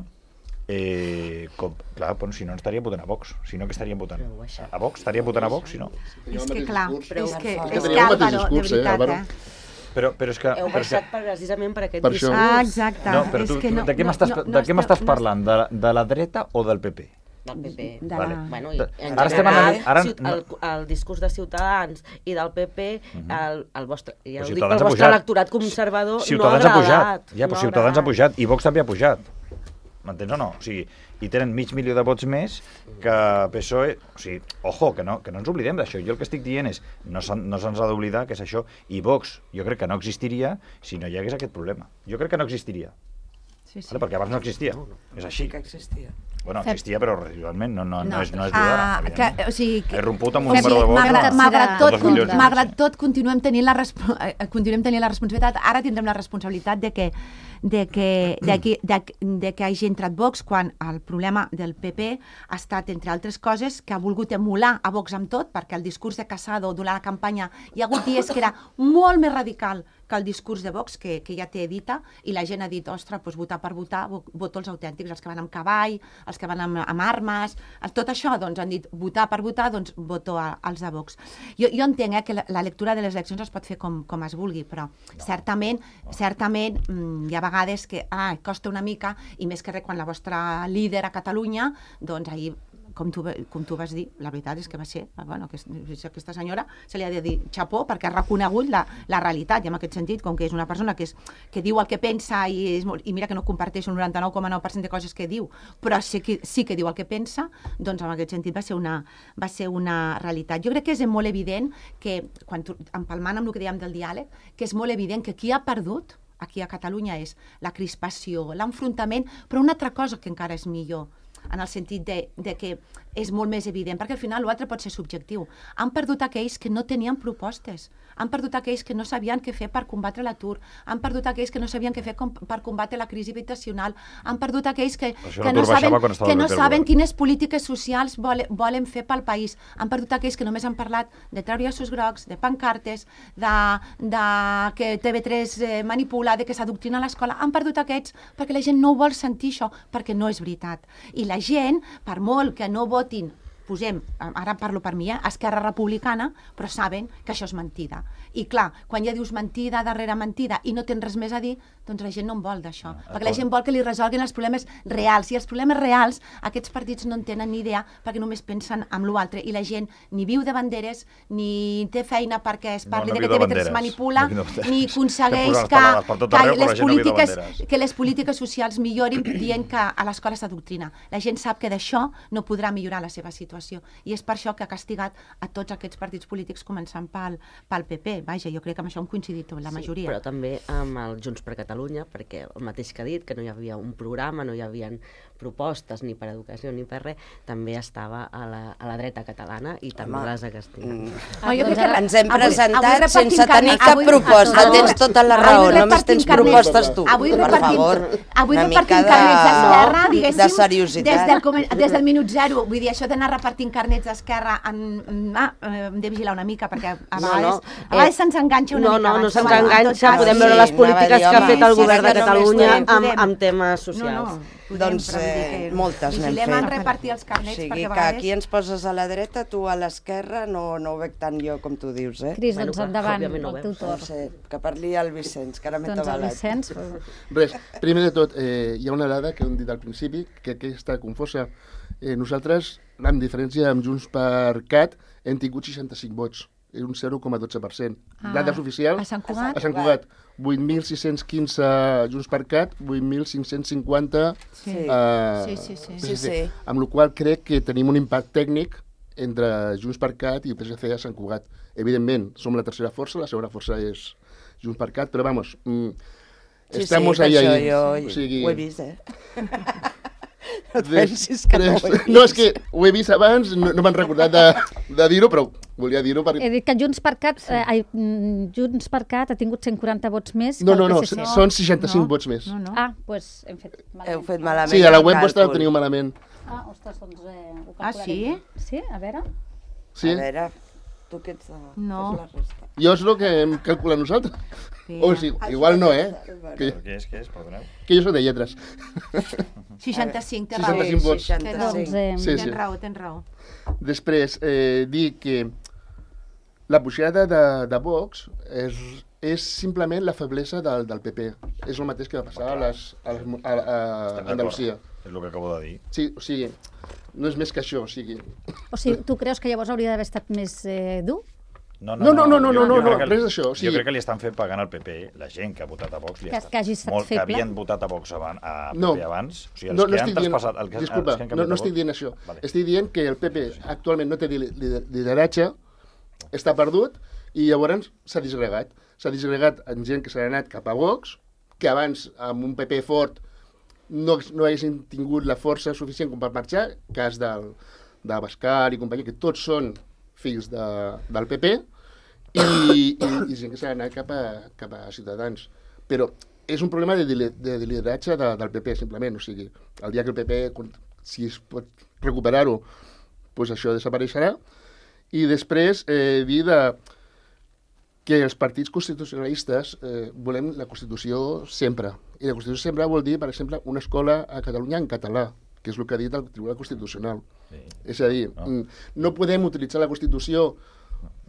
S6: eh, com, clar, bueno, si no ens estaríem votant a Vox, si no que estaríem votant a Vox, estaríem votant a Vox, si no.
S4: És que clar, és que, és que
S3: tenia el mateix
S4: Álvaro, de
S3: discurs, eh,
S4: veritat,
S3: Álvaro?
S4: eh?
S6: Però, però és que...
S5: Heu
S6: però és que...
S5: baixat per, precisament per aquest
S3: Per això.
S5: discurs.
S4: Ah, exacte.
S6: No, però
S4: És
S6: tu,
S4: que
S6: tu
S4: no,
S6: de què
S4: no,
S6: m'estàs
S4: no,
S6: de
S4: no
S6: què
S4: està-
S6: m'estàs
S4: no
S6: parlant? De, de la dreta o del P P?
S5: Del P P.
S4: De
S6: Vale.
S4: la...
S5: Bueno, i en
S6: Ara estem
S5: general,
S6: anant- ara-
S5: ciut- el, el discurs de Ciutadans i del P P, el, el vostre, ja
S6: Però
S5: ho dic,
S6: Ciutadans
S5: el
S6: ha
S5: vostre
S6: pujat.
S5: electorat conservador
S6: Ciutadans
S5: no ha
S6: ha pujat.
S5: agradat.
S6: Ja, però
S5: no
S6: Ciutadans ha
S5: agradat.
S6: pujat i Vox també ha pujat. M'entens o no? O sigui, i tenen mig milió de vots més que P S O E. O sigui, ojo, que no, que no ens oblidem d'això. Jo el que estic dient és, no se'n no se'ns ha d'oblidar que és això. I Vox, jo crec que no existiria si no hi hagués aquest problema. Jo crec que no existiria.
S4: Sí, sí.
S6: Vale? Perquè abans no existia. És així.
S1: Que existia.
S6: Bueno, existia, però residualment no, no, no, és, no és
S4: Ah,
S6: d'ara,
S4: que,
S6: evidentment.
S4: o sigui,
S6: He romput amb
S4: o
S6: un
S4: sigui,
S6: número de vots.
S4: malgrat,
S6: de-
S4: malgrat,
S6: de
S4: tot,
S6: dos milions de
S4: malgrat
S6: vots.
S4: tot, continuem tenint la, respo eh, continuem tenint la responsabilitat, ara tindrem la responsabilitat de que, de que, de que, de, de que hagi entrat Vox quan el problema del P P ha estat, entre altres coses, que ha volgut emular a Vox amb tot, perquè el discurs de Casado durant la campanya hi ha hagut dies que era molt més radical que el discurs de Vox, que, que ja té dita, i la gent ha dit, ostres, doncs votar per votar, vo- voto els autèntics, els que van amb cavall, els que van amb, amb armes, tot això, doncs han dit, votar per votar, doncs voto a, als de Vox. Jo, jo entenc eh, que la, la lectura de les eleccions es pot fer com, com es vulgui, però no, certament, no. certament mm, hi ha vegades que ah, costa una mica, i més que res quan la vostra líder a Catalunya, doncs ahir com tu, com tu vas dir, la veritat és que va ser, bueno, que aquesta senyora se li ha de dir xapó perquè ha reconegut la, la realitat, i en aquest sentit, com que és una persona que, és, que diu el que pensa i, és molt, i mira que no comparteix un noranta-nou coma nou per cent de coses que diu, però sí que, sí que diu el que pensa, doncs en aquest sentit va ser una, va ser una realitat. Jo crec que és molt evident que, quan tu, empalmant amb el que dèiem del diàleg, que és molt evident que qui ha perdut aquí a Catalunya és la crispació, l'enfrontament, però una altra cosa que encara és millor, en el sentit de, de que és molt més evident, perquè al final l'altre pot ser subjectiu. Han perdut aquells que no tenien propostes, han perdut aquells que no sabien què fer per combatre l'atur, han perdut aquells que no sabien què fer com, per combatre la crisi habitacional, han perdut aquells que, que no saben, que no saben quines polítiques socials volen, volen fer pel país, han perdut aquells que només han parlat de treure llaços grocs, de pancartes, de, de que T V tres eh, manipula, de que s'adoctrina a l'escola, han perdut aquests perquè la gent no ho vol sentir això, perquè no és veritat. I la gent, per molt que no votin posem, ara parlo per mi, eh, Esquerra Republicana, però saben que això és mentida. I clar, quan ja dius mentida darrere mentida i no tens res més a dir, doncs la gent no en vol d'això. No, perquè la gent vol que li resolguin els problemes reals. I els problemes reals, aquests partits no en tenen ni idea perquè només pensen en l'altre. I la gent ni viu de banderes, ni té feina perquè es parli
S6: no, no
S4: de que T V tres es manipula,
S6: no
S4: ni aconsegueix que, que,
S6: arreu,
S4: les polítiques, que les polítiques socials millorin dient que a l'escola s'adoctrina. La gent sap que d'això no podrà millorar la seva situació. I és per això que ha castigat a tots aquests partits polítics, començant pel, pel P P. Vaja, jo crec que amb això hem coincidit la majoria.
S5: Sí, però també amb el Junts per Catalunya, perquè el mateix que ha dit, que no hi havia un programa, no hi havia propostes ni per educació ni per res, també estava a la, a la dreta catalana i també
S1: Home.
S5: les ha castigat.
S1: Mm.
S2: Ah, jo crec que
S1: Ens hem
S4: avui-
S1: presentat
S4: avui
S1: sense
S4: repartim
S1: tenir
S4: carnet.
S1: cap
S4: Avui-
S1: proposta.
S4: avui-
S1: Tens tota la
S4: avui
S1: raó, només
S4: repartim
S1: tens
S4: carnet.
S1: propostes tu.
S4: Avui
S1: Per
S4: repartim-
S1: favor,
S4: avui
S1: una
S4: repartim
S1: mica
S4: carnets d'Esquerra,
S1: de,
S4: diguéssim,
S1: de seriositat.
S4: Des del, comen- des del minut zero. Vull dir, això d'anar repartint carnets d'Esquerra, en, ah, eh, hem de vigilar una mica, perquè a
S5: No,
S4: vegades,
S5: no.
S4: a vegades
S5: Eh,
S4: se'ns enganxa una
S5: no,
S4: mica.
S5: no, no
S4: abans,
S5: se'ns
S4: però bueno, en tot
S5: enganxa,
S4: cas,
S5: podem
S1: sí,
S5: veure les
S1: anava a
S5: polítiques
S1: dir,
S5: que ha
S1: home,
S5: fet el
S1: sí,
S5: govern de
S1: que només
S5: Catalunya
S1: podem-
S5: amb,
S4: podem.
S5: amb temes
S4: No,
S5: socials.
S4: no, podem,
S1: Doncs
S4: però vull dir
S1: eh,
S4: que
S1: moltes n'hem
S4: vigilem en
S1: fet.
S4: repartir els carnets,
S1: O sigui,
S4: perquè a
S1: que
S4: vegades...
S1: aquí ens poses a la dreta, tu a l'esquerra, no, no ho veig tant jo com tu dius, eh?
S2: Cris,
S5: Bueno,
S2: doncs
S5: clar,
S2: endavant,
S5: òbviament no
S2: el
S5: ho
S2: teu
S5: veus.
S1: No
S2: torn.
S1: sé, que parli el Vicenç, que ara m'he
S2: Doncs el
S1: tabalat.
S2: Vicenç...
S3: Res, primer de tot, eh, hi ha una dada que hem dit al principi, que, que està confosa. Eh, nosaltres, amb diferència amb Junts per Cat, hem tingut seixanta-cinc vots, és un zero coma dotze per cent.
S4: Ah,
S3: Dades oficials,
S4: a Sant Cugat?
S3: a Sant Cugat, vuit mil sis-cents quinze Junts per Cat, vuit mil cinc-cents cinquanta
S4: Sí.
S3: eh,
S4: Sí, sí, sí.
S3: P S
S1: Sí,
S3: C.
S1: sí.
S3: Amb la qual crec que tenim un impacte tècnic entre Junts per Cat i P S C a Sant Cugat. Evidentment, som la tercera força, la segona força és Junts per Cat, però vamos, mm,
S1: Sí,
S3: estamos
S1: sí,
S3: ahí,
S1: per
S3: ahí.
S1: això jo
S3: O sigui,
S1: ho he vist, eh? No et pensis que no ho he
S3: Després-
S1: vist.
S3: No, és que ho he vist abans, no, no m'han recordat de, de dir-ho, però volia dir-ho
S2: He
S3: perquè...
S2: dit que Junts per Cat, eh, ai, mm, Junts per Cat ha tingut cent quaranta vots més que
S3: No,
S2: el
S3: no, no,
S2: P S C.
S3: són seixanta-cinc
S4: No,
S3: vots més.
S4: No, no.
S2: Ah, doncs pues hem fet malament.
S1: Heu fet malament.
S3: Sí, a la
S1: el
S3: web vostra ho
S1: càlcul.
S3: teniu malament.
S2: Ah, ostres, doncs eh, ho
S4: Ah,
S2: calcularé.
S4: sí?
S2: Sí, a veure.
S3: Sí?
S1: A veure, tu què ets de...
S4: No.
S1: fes la resta.
S3: Jo és el que hem calculat nosaltres.
S4: Sí.
S3: O sigui, igual no, eh? Que,
S6: Què és, què és? Perdoneu.
S3: que jo soc de lletres.
S4: seixanta-cinc, té raó.
S3: seixanta-cinc vots.
S2: Doncs, eh,
S3: Sí, sí.
S4: Tens raó, tens raó.
S3: Després, eh, dir que la pujada de, de Vox és, és simplement la feblesa del, del P P. És el mateix que va passar a, les, a, les, a, a, a
S6: Estem
S3: Andalusia.
S6: d'acord. És el que acabo de dir.
S3: Sí, o sigui, no és més que això, o sigui...
S2: O sigui, tu creus que llavors hauria d'haver estat més eh, dur?
S3: No, no, no, no, no,
S6: jo-
S3: no,
S6: jo crec
S3: no,
S6: que-
S3: res d'això, o sigui-
S6: Jo crec que li estan fent pagant al P P, la gent que ha votat a Vox, li
S2: Que-
S6: estan...
S2: que hagi estat
S6: molt,
S2: feble.
S6: Que havien votat a Vox abans, a P P
S3: No.
S6: abans. O sigui, els
S3: No, no
S6: que han
S3: estic dient,
S6: traspassat... El que,
S3: disculpa,
S6: els que han
S3: no,
S6: canviat
S3: no
S6: de
S3: estic
S6: vot.
S3: dient això.
S6: Vale.
S3: Estic dient que el P P actualment no té li- li- lideratge, està perdut, i llavors s'ha disgregat. S'ha disgregat en gent que s'ha anat cap a Vox, que abans, amb un P P fort, no, no haguessin tingut la força suficient com per marxar, cas del, de Bascar i companyia, que tots són fills de, del P P, i, i, i gent que s'ha anat cap a, cap a Ciutadans. Però és un problema de, de, de lideratge de, del P P, simplement. O sigui, el dia que el P P, si es pot recuperar-ho, doncs això desapareixerà. I després eh, dir de, que els partits constitucionalistes eh, volem la Constitució sempre. I la Constitució sempre vol dir, per exemple, una escola a Catalunya en català, que és el que ha dit el Tribunal Constitucional.
S6: Sí.
S3: És a dir,
S6: No.
S3: no, no podem utilitzar la Constitució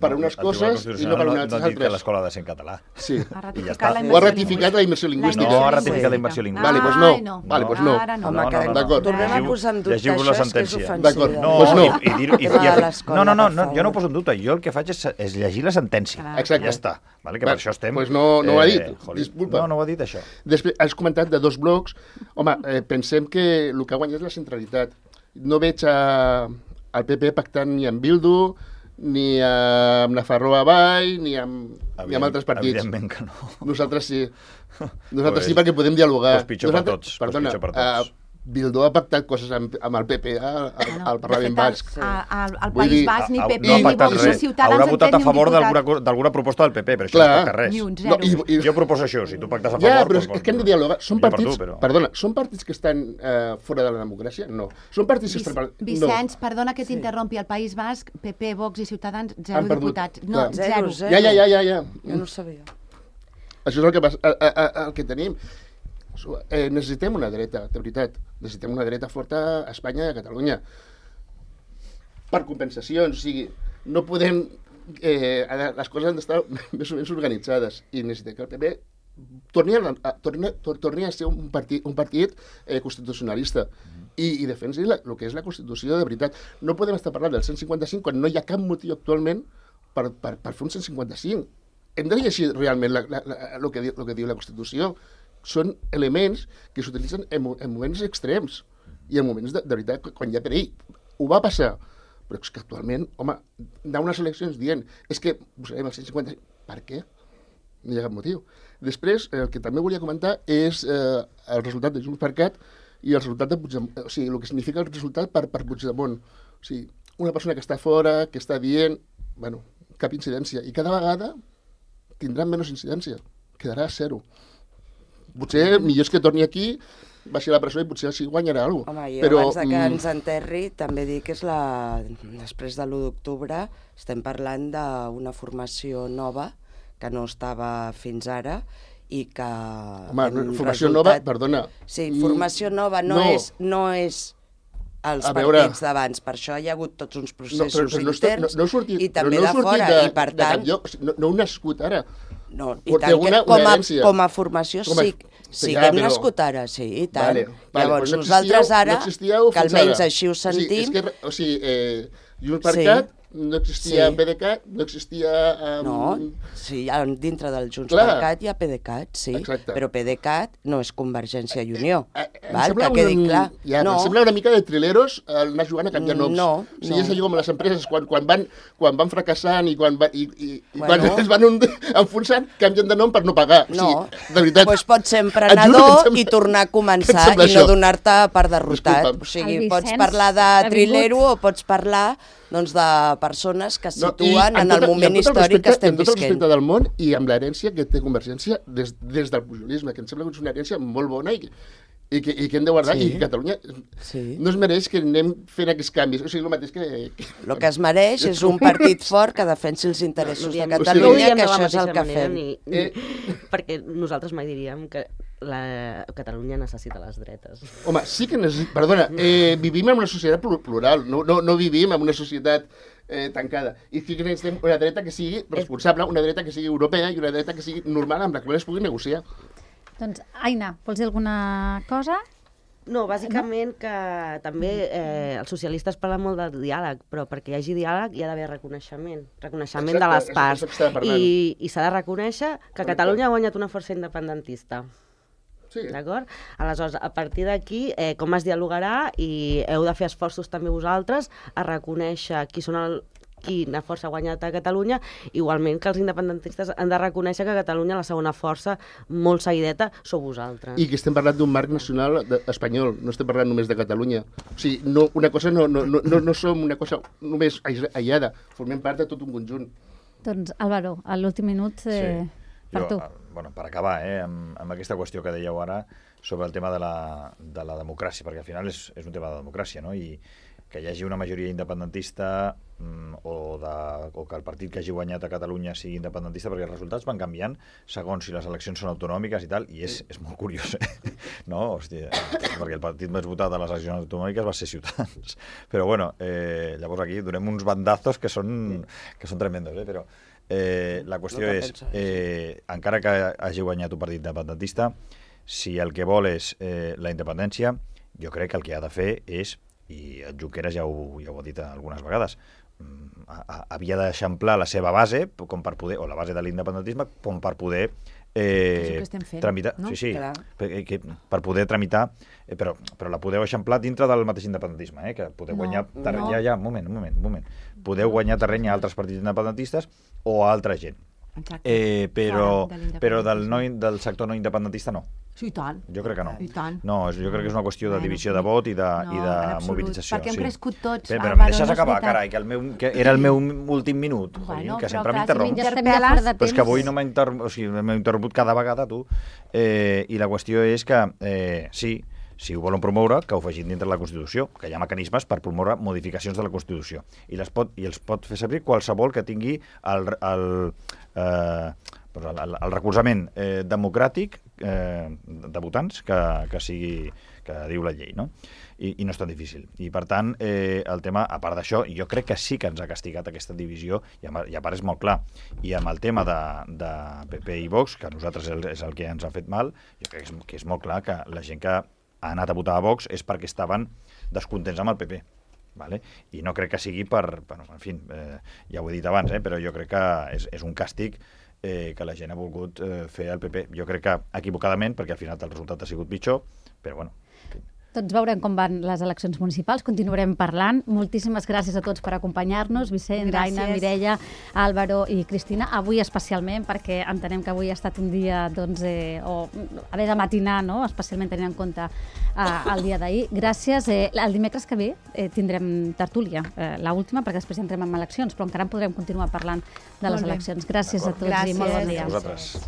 S3: per
S6: No,
S3: unes
S6: el Tribunal
S3: coses i no per
S6: Constitucional
S3: unes
S6: no, no ha dit que
S3: altres.
S6: l'escola ha de ser en català.
S3: Sí.
S4: Ha
S6: I ja
S4: ratificat
S6: està.
S4: la
S3: Ho ha
S4: immersió
S3: ratificat la immersió lingüística.
S6: No, ha ratificat la immersió lingüística.
S3: Vale, doncs no.
S4: Ai, no.
S3: Vale, doncs no.
S4: Ara no.
S1: Home,
S6: No,
S1: que
S6: no, no,
S1: no,
S6: no.
S1: tornem a
S6: Llegiu-
S1: posar en dubte
S6: llegiu-vos
S1: això,
S6: la
S1: és que és
S6: sentència.
S1: ofensiu.
S3: D'acord.
S6: No,
S3: Doncs no.
S6: i, i, dir, i,
S1: Va
S6: i,
S1: a
S6: i,
S1: l'escola,
S6: no, no, no,
S1: per
S6: no, jo no
S1: favor.
S6: poso en dubte. Jo el que faig és, és llegir la sentència.
S4: Clar.
S3: Exacte.
S6: Ja està. Vale, que
S3: Va,
S6: per això estem...
S3: doncs no- no ho ha dit,
S6: joli.
S3: disculpa.
S6: No, no ho ha dit, això.
S3: Després, has comentat de dos blocs. Home, eh, pensem que el que ha guanyat és la centralitat. No veig a, al P P pactant ni amb Bildu, ni amb Nafarroa Avall, ni amb, ni amb altres partits.
S6: Evidentment que no.
S3: Nosaltres sí. Nosaltres
S6: Pues-
S3: sí perquè podem dialogar.
S6: pues pitjor per
S3: Nosaltres,
S6: tots, pues
S3: Perdona,
S6: pitjor per tots.
S3: eh, Bildu ha pactat coses amb, amb el P P al, al, al Parlament Basc.
S4: Al, al, al
S3: Vull
S4: País
S3: dir,
S4: Basc ni
S6: Ha-
S4: P P
S6: no ha
S4: ni
S6: pactat
S4: Vox
S6: res.
S4: ni Ciutadans
S6: Haurà
S4: han
S6: votat
S4: fet
S6: a
S4: ni un
S6: favor
S4: diputat.
S6: d'alguna co- d'alguna proposta del P P, però això
S3: Clar.
S6: no pacta res.
S4: Ni un
S3: No,
S4: zero.
S3: i, i,
S6: Jo proposo això, si tu pactes a favor...
S3: ja, però
S6: doncs,
S3: és, és que hem de dialogar. Són
S6: millor per
S3: partits,
S6: tu, però-
S3: perdona, són partits que estan eh, fora de la democràcia? No. Són partits
S4: Vic-
S3: extra...
S4: Vicenç, perdona que t'interrompi, al País Basc, P P, Vox i Ciutadans, zero
S3: Han perdut,
S4: diputats.
S3: clar.
S4: No,
S1: Zero,
S4: zero.
S1: zero.
S3: No. Ja, ja, ja, ja, ja.
S1: Jo no ho sabia.
S3: Això és el que, passa, el, el, el que tenim. Eh, necessitem una dreta, de veritat. Necessitem una dreta forta a Espanya i a Catalunya. per compensacions, o sigui, no podem... Eh, les coses han d'estar més o menys organitzades i necessitem que el P P torni a, torni, torni a ser un partit, un partit eh, constitucionalista i, i defensi la, el que és la Constitució de veritat. No podem estar parlant del cent cinquanta-cinc quan no hi ha cap motiu actualment per, per, per fer un cent cinquanta-cinc. Hem de llegir realment la, la, la, el, que diu, el que diu la Constitució. Són elements que s'utilitzen en, en moments extrems i en moments de, de veritat quan hi ha perill. Ho va passar. Però és que actualment, home, anar a unes eleccions dient és que buscarem el cent cinquanta-cinc, per què? No hi ha cap motiu. Després, el que també volia comentar és eh, el resultat de Junts per Cat i el resultat de Puigdemont, o sigui, el que significa el resultat per, per Puigdemont. O sigui, una persona que està fora, que està dient, bueno, cap incidència, i cada vegada tindran menys incidència, quedarà a zero. Potser millor és que torni aquí, baixi a la presó i potser així guanyarà alguna cosa.
S1: Home, jo
S3: però,
S1: abans de que ens enterri també dic que és la... després de l'u d'octubre estem parlant d'una formació nova que no estava fins ara i que...
S3: Home, formació resultat... nova, perdona...
S1: Sí, formació nova no, no. és... No és els
S3: veure...
S1: partits d'abans, per això hi ha hagut tots uns processos
S3: no, però, però
S1: interns
S3: no, no, no sortit,
S1: i també
S3: no
S1: de fora,
S3: de,
S1: i per tant...
S3: lloc, no, no heu nascut ara.
S1: No, i tant
S3: una,
S1: que com a,
S3: una
S1: com a formació com a, sí, sí ja, que hem però... nascut ara, sí, i tant. Vale, vale, Llavors no nosaltres ara, no que almenys ara. Així ho sentim...
S3: O sigui, és que, o sigui eh, Junts per Cat no existia sí. P D Cat, no existia... Um...
S1: No, sí, dintre del Junts Clar. per Cat hi ha P D Cat, sí, Exacte. Però P D Cat no és Convergència i Unió, eh, eh, val? Que quedi un... clar.
S3: Ja, no. Em sembla una mica de trileros anar jugant a canviar noms.
S1: No,
S3: o sigui, no. És allò com les empreses, quan, quan, van, quan van fracassant i quan, va, i, i, bueno. quan es van un, enfonsant, canvien de nom per no pagar.
S1: No,
S3: o sigui, de veritat,
S1: pues pots ser emprenedor i tornar a començar i no donar-te per derrotat. Disculpa'm. O sigui, pots parlar de trilero o pots parlar doncs, de persones que es situen no, en, en el moment històric que estem visquent.
S3: Amb tot el respecte del món i amb l'herència que té Convergència des, des del pujolisme, que em sembla que és una herència molt bona i que, i que, i que hem de guardar, sí. I que Catalunya sí. no es mereix que anem fent aquests canvis. O sigui, el mateix que...
S1: El que es mereix és un partit fort que defensi els interessos de Catalunya, que això és el que fem.
S5: Ni, ni, eh? Perquè nosaltres mai diríem que la Catalunya necessita les dretes.
S3: Home, sí que necessita... Perdona, eh, vivim en una societat plural, no, no, no vivim en una societat eh, tancada. I sí que necessitem una dreta que sigui responsable, una dreta que sigui europea i una dreta que sigui normal amb la qual es pugui negociar.
S2: Doncs, Aina, vols dir alguna cosa?
S5: No, bàsicament que també eh, els socialistes parlen molt del diàleg, però perquè hi hagi diàleg hi ha d'haver reconeixement, reconeixement Exacte, de les parts. I, i s'ha de reconèixer que Catalunya ha guanyat una força independentista. Sí. D'acord? Aleshores, a partir d'aquí, eh, com es dialogarà i heu de fer esforços també vosaltres a reconèixer qui són el, quina força ha guanyat a Catalunya, igualment que els independentistes han de reconèixer que a Catalunya la segona força molt seguideta sou vosaltres.
S3: I que estem parlant d'un marc nacional de, espanyol, no estem parlant només de Catalunya. O sigui, no, una cosa no, no, no, no, no som una cosa només aïllada, formem part de tot un conjunt.
S2: Doncs, Álvaro, a l'últim minut... Eh... Sí. Per
S6: jo,
S2: tu.
S6: Bueno, per acabar, eh, amb, amb aquesta qüestió que dèieu ara sobre el tema de la, de la democràcia, perquè al final és, és un tema de democràcia, no? I que hi hagi una majoria independentista mm, o, de, o que el partit que hagi guanyat a Catalunya sigui independentista, perquè els resultats van canviant segons si les eleccions són autonòmiques i tal, i és, és molt curiós, eh? No? Hòstia, perquè el partit més votat a les eleccions autonòmiques va ser Ciutadans. Però bueno, eh, llavors aquí donem uns bandazos que són, que són tremendos, eh? Però Eh, la qüestió és, eh, encara que hagi guanyat un partit independentista, si el que vol és eh, la independència, jo crec que el que ha de fer és, i el Junqueras ja ho, ja ho ha dit algunes vegades, a, a, havia d'eixamplar la seva base, com per poder, o la base de l'independentisme, com per poder eh,
S4: fent,
S6: tramitar, no? sí, sí, per, que, per poder tramitar, eh, però, però la podeu eixamplar dintre del mateix independentisme, eh, que podeu no, guanyar terreny, no. ja, ja, un moment, un moment, un moment, podeu guanyar terreny a altres partits independentistes o a altra gent. Eh, però però del, no, del sector no independentista no.
S4: Sí, i tant.
S6: Jo crec que no.
S4: I tant.
S6: No, jo crec que és una qüestió de divisió de vot i de,
S4: no,
S6: i de mobilització.
S4: Perquè hem
S6: sí.
S4: crescut tots.
S6: Però, però em deixes acabar, carai, que, el meu, que era el meu últim minut.
S4: Bueno,
S6: que sempre
S4: clar,
S6: m'interromps.
S4: Si
S6: però és que avui no m'ha interromput, o sigui, m'he interromput cada vegada, tu. Eh, I la qüestió és que, eh, sí, si ho volen promoure, que ho facin dintre de la Constitució, que hi ha mecanismes per promoure modificacions de la Constitució. I, les pot, i els pot fer servir qualsevol que tingui el, el, eh, el, el recolzament eh, democràtic eh, de votants que, que sigui que diu la llei, no? I, i no és tan difícil. I, per tant, eh, el tema, a part d'això, jo crec que sí que ens ha castigat aquesta divisió, i a, i a part és molt clar. I amb el tema de, de P P i Vox, que a nosaltres és el que ens ha fet mal, jo crec que és, que és molt clar que la gent que ha anat a votar a Vox és perquè estaven descontents amb el P P. Vale? I no crec que sigui per... Bueno, en fi, eh, ja ho he dit abans, eh, però jo crec que és, és un càstig eh, que la gent ha volgut eh, fer al P P. Jo crec que equivocadament, perquè al final el resultat ha sigut pitjor, però bueno...
S2: Tots veurem com van les eleccions municipals, continuarem parlant. Moltíssimes gràcies a tots per acompanyar-nos, Vicent,
S4: Gràcies.
S2: Aina, Mireia, Álvaro i Cristina. Avui especialment, perquè entenem que avui ha estat un dia, doncs, eh, o haver de matinar, no?, especialment tenint en compte eh, el dia d'ahir. Gràcies. Eh, el dimecres que ve eh, tindrem tertúlia, eh, l'última, perquè després entrem en eleccions, però encara en podrem continuar parlant de les eleccions. Gràcies a tots i molt bon dia.
S6: A vosaltres.